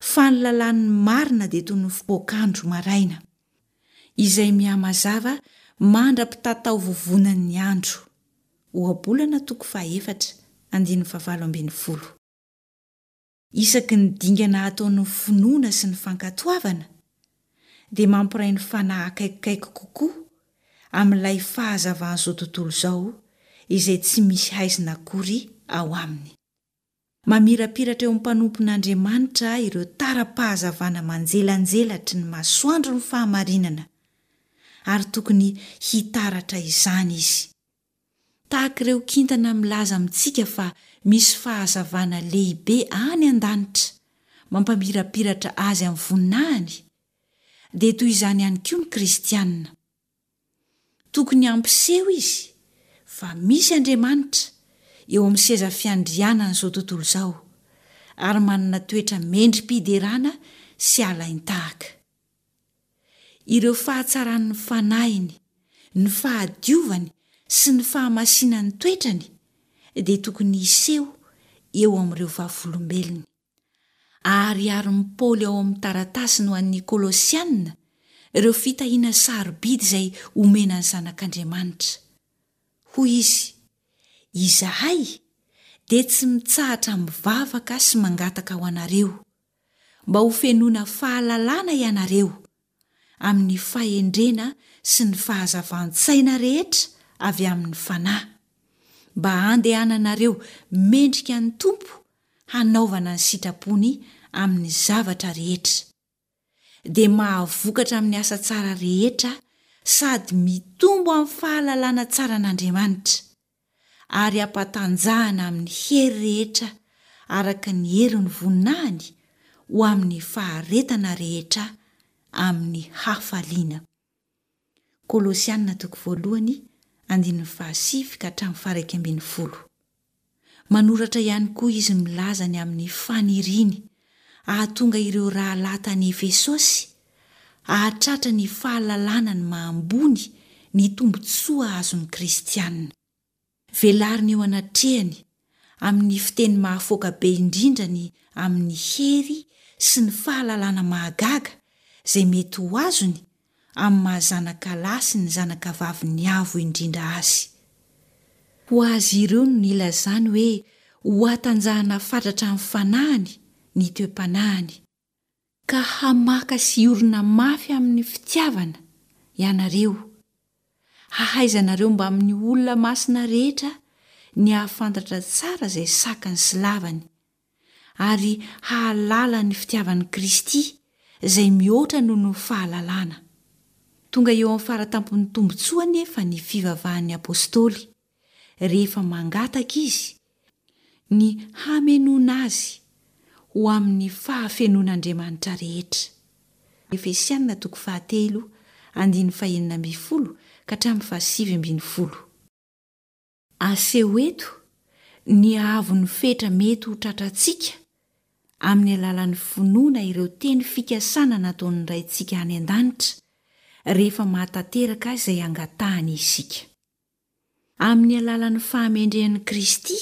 Speaker 3: Fa ny lalàn'ny marina dia toy ny fipoak'andro maraina, izay mihamazava mandra-pitataovovonan'ny andro. Ohabolana toko fahaefatra, andininy fahavalo ambin'ny folo. Isaky ny dingana ataon'ny finoana sy ny fankatoavana, dia mampiray ny fanahy akaikikaiky kokoa amin'ilay fahazavan'izao tontolo izao izay tsy misy haizina akory ao aminy. Mamirapiratra eo amin'ny mpanompon'Andriamanitra ireo tara-pahazavana manjelanjelatry ny masoandron'ny fahamarinana, ary tokony hitaratra izany izy. Tahaka ireo kintana milaza amintsika fa misy fahazavana lehibe any an-danitra mampamirapiratra azy amin'ny voninahiny, dia toy izany ihany koa ny Kristianina. Tokony hampiseho izy fa misy Andriamanitra eo amin'ny seza fiandrianan'izao tontolo izao, ary manana toetra mendri-piderana sy alain-tahaka. Ireo fahatsaran'ny fanahiny, ny fahadiovany sy ny fahamasinan'ny toetrany dia tokony hiseho eo amin'ireo vavolombelony. Ahariharin'i Paoly ao amin'ny taratasiny ho an'ny Kolosiana ireo fitahiana sarobidy izay omena ny zanak'Andriamanitra. Hoy izy, Izahay dia tsy mitsahatra mivavaka sy mangataka ho anareo, mba hofenoina fahalalana ianareo, amin'ny fahendrena sy ny fahazavan-tsaina rehetra avy amin'ny Fanahy, mba handehananareo mendrika ny Tompo hanaovana ny sitrapony amin'ny zavatra rehetra, dia mahavokatra amin'ny asa tsara rehetra sady mitombo amin'ny fahalalana tsara an'Andriamanitra, ary ampatanjahana amin'ny hery rehetra araka ny herin'ny voninahiny ho amin'ny faharetana rehetra amin'ny hafaliana. Kolosiana toko voalohany andininy fahasivy ka hatramin'ny faha-iraika ambin'ny folo. Manoratra ihany koa izy milaza ny amin'ny faniriany hahatonga ireo rahalahy tany Efesosy hahatratra ny fahalalana ny maha ambony ny tombontsoa azon'ny Kristiana. Velariny eo anatrehany amin'ny fiteny mahafoaka be indrindra ny amin'ny hery sy ny fahalalana mahagaga izay mety ho azony amin'ny maha zanaka lahy sy ny zanaka vavin'ny Avo Indrindra azy. Ho azy ireo no nilazany hoe hohatanjahana fatratra amin'ny fanahiny ny toe-panahiny, ka hamaka sy hiorina mafy amin'ny fitiavana ianareo, hahaizanareo mbamin'ny olona masina rehetra ny hahafantatra tsara izay sakany sy lavany, ary hahalala ny fitiavan'i Kristy izay mihoatra noho ny fahalalana. Tonga eo amin'ny fara-tampon'ny tombontsoa anefa ny fivavahan'ny apostoly, rehefa mangataka izy ny hamenoana azy ho amin'ny fahafenoan'Andriamanitra rehetra. Efesiana toko fahatelo andininy fahenina ambin'ny folo ka hatramin'ny fahasivy ambin'ny folo. Aseho eto ny haavon'ny fetra mety ho tratrantsika amin'ny alalan'ny finoana ireo teny fikasana nataon'ny Raintsika any An-danitra rehefa mahatanteraka izay angatahany isika. Amin'ny alalan'ny fahamendrehan'i Kristy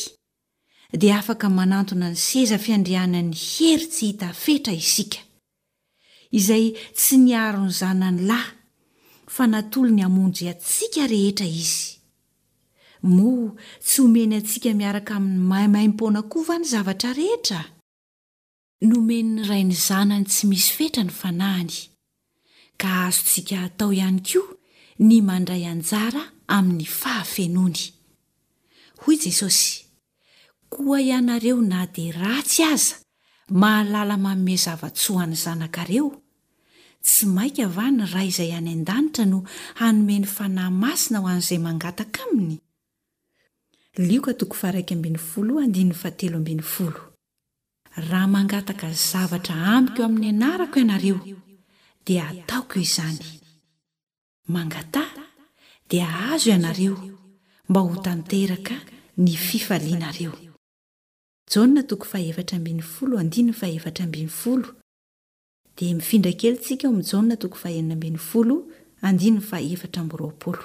Speaker 3: dia afaka manantona ny seza fiandrianan'ny hery tsy hita fetra isika, izay tsy niaro ny zanany lahy fa natolony hamonjy antsika rehetra izy. Moa tsy homeny antsika miaraka aminy maimaimpoana koa va ny zavatra rehetra? Nomen'ny Ray ny Zanany tsy misy fetra ny Fanahiny, ka azontsika atao ihany koa ny mandray anjara amin'ny fahafenoany. Hoy Jesosy, Koa ianareo na dia ratsy aza mahalala manome zava-tsoa an'ny zanakareo, tsy mainka va ny Ray izay any an-danitra no hanome ny Fanahy Masina ho an'izay mangataka Aminy? Lioka toko faha-iraika ambin'ny folo andininy fahatelo ambin'ny folo. Raha mangataka zavatra amiko amin'ny anarako ianareo, dia hataoko izany. Mangataha, dia hahazo ianareo, mba ho tanteraka ny fifalianareo. Jaona toko fahefatra ambin'ny folo andininy fahefatra ambin'ny folo Dia mifindra kely tsika ao amin'ny Jaona toko fahenina ambin'ny folo andininy fahefatra amby roapolo.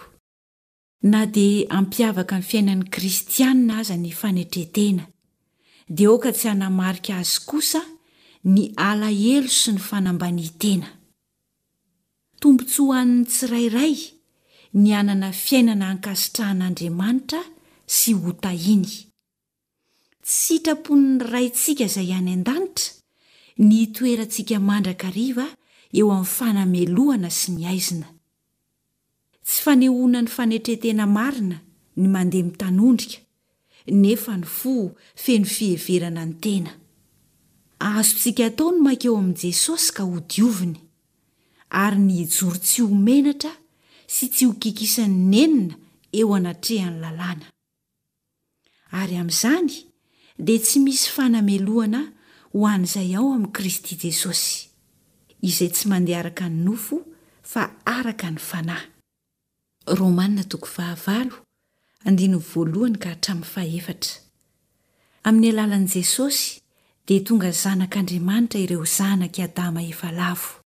Speaker 3: Na dia hampiavaka ny fiainan'ny kristiana aza ny fanetren-tena, dia aoka tsy hanamarika azy kosa ny alahelo sy ny fanambanian-tena. Tombontsoa ho an'ny tsirairay ny hanana fiainana ankasitrahan'Andriamanitra sy hotahiny. Tsy sitrapon'ny Raintsika izay any an-danitra ny hitoerantsika mandrakariva eo amin'ny fanamelohana sy ny haizina. Tsy fanehoana ny fanetren-tena marina ny mandeha mitanondrika, nefa ny fo feno fiheverana ny tena. Azontsika atao ny mankeo amin'i Jesosy ka hodioviny, ary ny hijoro tsy ho menatra sy tsy ho kikisan'ny nenina eo anatrehan'ny lalàna. Ary amin'izany dia tsy misy fanamelohana ho an'izay ao amin'i Kristy Jesosy, izay tsy mandeha araka ny nofo fa araka ny Fanahy. Romana toko fahavalo, andininy voalohany ka hatramin'ny fahefatra. Amin'ny alalan'i Jesosy dia tonga zanak'Andriamanitra ireo zanak'i Adama efa lavo.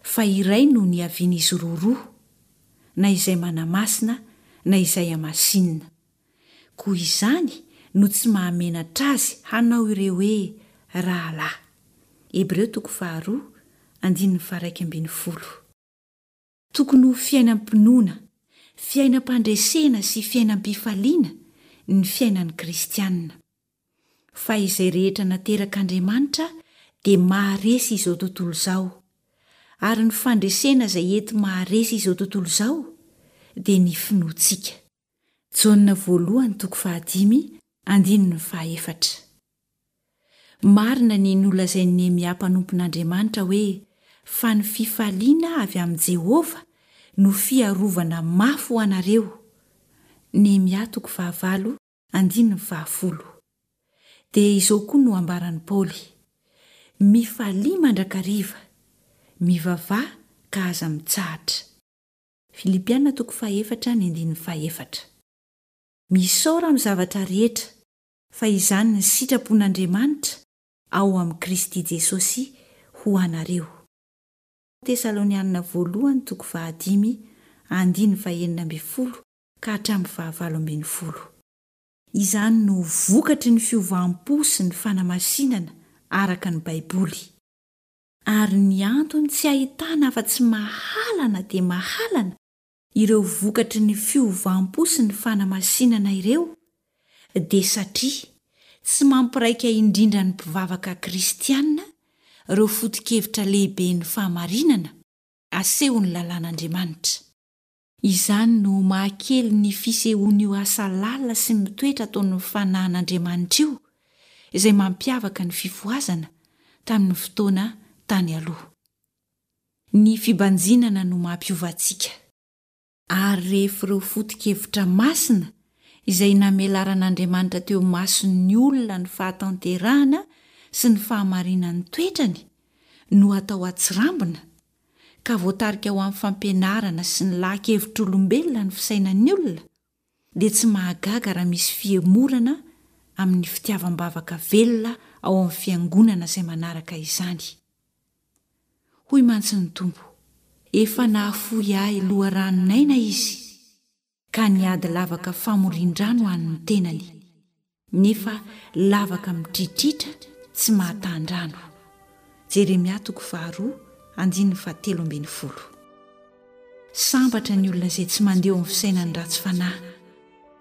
Speaker 3: Fa iray no niavian'izy roa roa, na izay manamasina na izay hamasinina. Koa izany no tsy mahamenatra azy hanao ireo hoe rahalahy. Hebreo toko faharoa, andininy faharaika ambin'ny folo. Tokony ho fiainam-pinoana, fiainam-pandresena sy fiainam-pifaliana ny fiainan'ny kristiana. Fa izay rehetra naterak'Andriamanitra dia maharesy izao tontolo izao, ary ny fandresena izay enti-maharesy izao tontolo izao dia ny finoantsika. Jaona voalohany toko fahadimy andininy fahaefatra. Marina ny nolazain'i Nehemia mpanompon'Andriamanitra hoe fa ny fifaliana avy amin'i Jehovah no fiarovana mafy ho anareo. Nehemia toko fahavalo andininy fahafolo. Dia izao koa no ambaran'i Paoly, Mifalia mandrakariva, mivavaha ka aza mitsahatra. Filipiana toko fahefatra ny andininy fahefatra. Misaora amin'ny zavatra rehetra, fa izany ny sitrapon'Andriamanitra ao amin'i Kristy Jesosy ho anareo. Tesalonianina voalohany toko fahadimy andininy fahenina ambin'ny folo ka hatramin'ny fahavalo ambin'ny folo. Izany no vokatry ny fiovam-po sy ny fanamasinana araka ny Baiboly. Ary ny antony tsy ahitana afa-tsy mahalana dia mahalana ireo vokatry ny fiovam-po sy ny fanamasinana ireo dia satria tsy mampiraika indrindra ny mpivavaka kristiana ireo foto-kevitra lehiben'ny fahamarinana asehon'ny lalàn'Andriamanitra. Izany no mahakely ny fisehoan'io asa lalina sy mitoetra ataon'ny Fanahin'Andriamanitra io, izay mampiavaka ny fifohazana tamin'ny fotoana tany aloha. Ny fibanjinana no mampiova antsika. Ary rehefa ireo foto-kevitra masina izay namelaran'Andriamanitra teo imason'ny olona ny fahatanterahana sy ny fahamarinan'ny toetrany no atao atsirambina, ka voatarika ho amin'ny fampianarana sy ny laha-kevitr'olombelona ny fisainan'ny olona, dia tsy mahagaga raha misy fihemorana amin'ny fitiavam-bavaka velona ao amin'ny fiangonana izay manaraka izany. Hoy mantsy ny Tompo, Efa nahafoy ahy loharanon'aina izy, ka nihady lavaka famorian-drano ho an'ny tenany, nefa lavaka mitritritra tsy mahatan-drano. Jeremia toko faharoa andininy fahatelo ambin'ny folo. Sambatra ny olona izay tsy mandeha eo amin'ny fisainan'ny ratsy fanahy,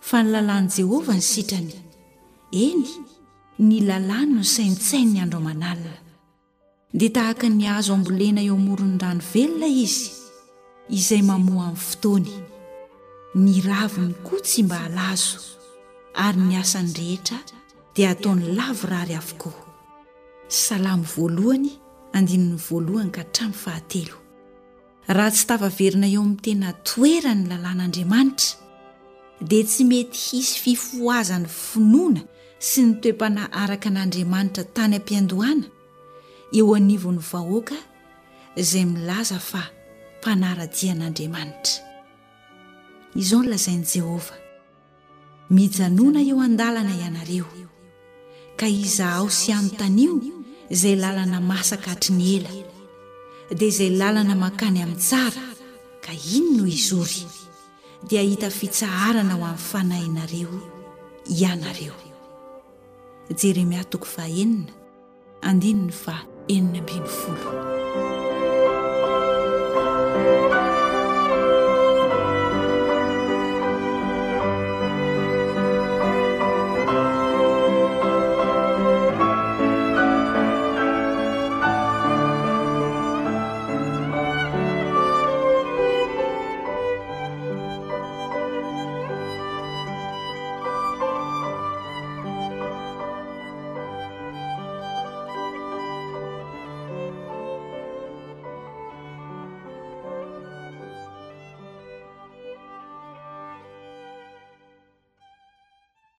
Speaker 3: fa ny lalàn'i Jehovah no sitrany. Eny, ny lalàny no saintsaininy andro aman'alina. Dia tahaka ny hazo ambolena eo amoron'ny rano velona izy, izay mamoa amin'ny fotoany. Ny raviny koa tsy mba halazo, ary ny asany rehetra dia ataony lavorary avokoa. Salamo voalohany, andininy voalohany ka hatramin'ny fahatelo. Raha tsy tafaverina eo amin'ny tena toerany ny lalàn'Andriamanitra, dia tsy mety hisy fifohazan'ny finoana sy ny toe-panahy araka an'Andriamanitra tany am-piandohana eo anivon'ny vahoaka izay milaza fa mpanara-dia an'Andriamanitra. Izao no lazain'i Jehovah, Mijanòna eo an-dalana ianareo, ka izahao sy anontanio izay lalana masaka hatry ny ela, dia izay lalana mankany amin'ny tsara, ka iny no hizory, dia hahita fitsaharana ho an'ny fanahinareo ianareo. Jeremia toko fahenina, andininy faha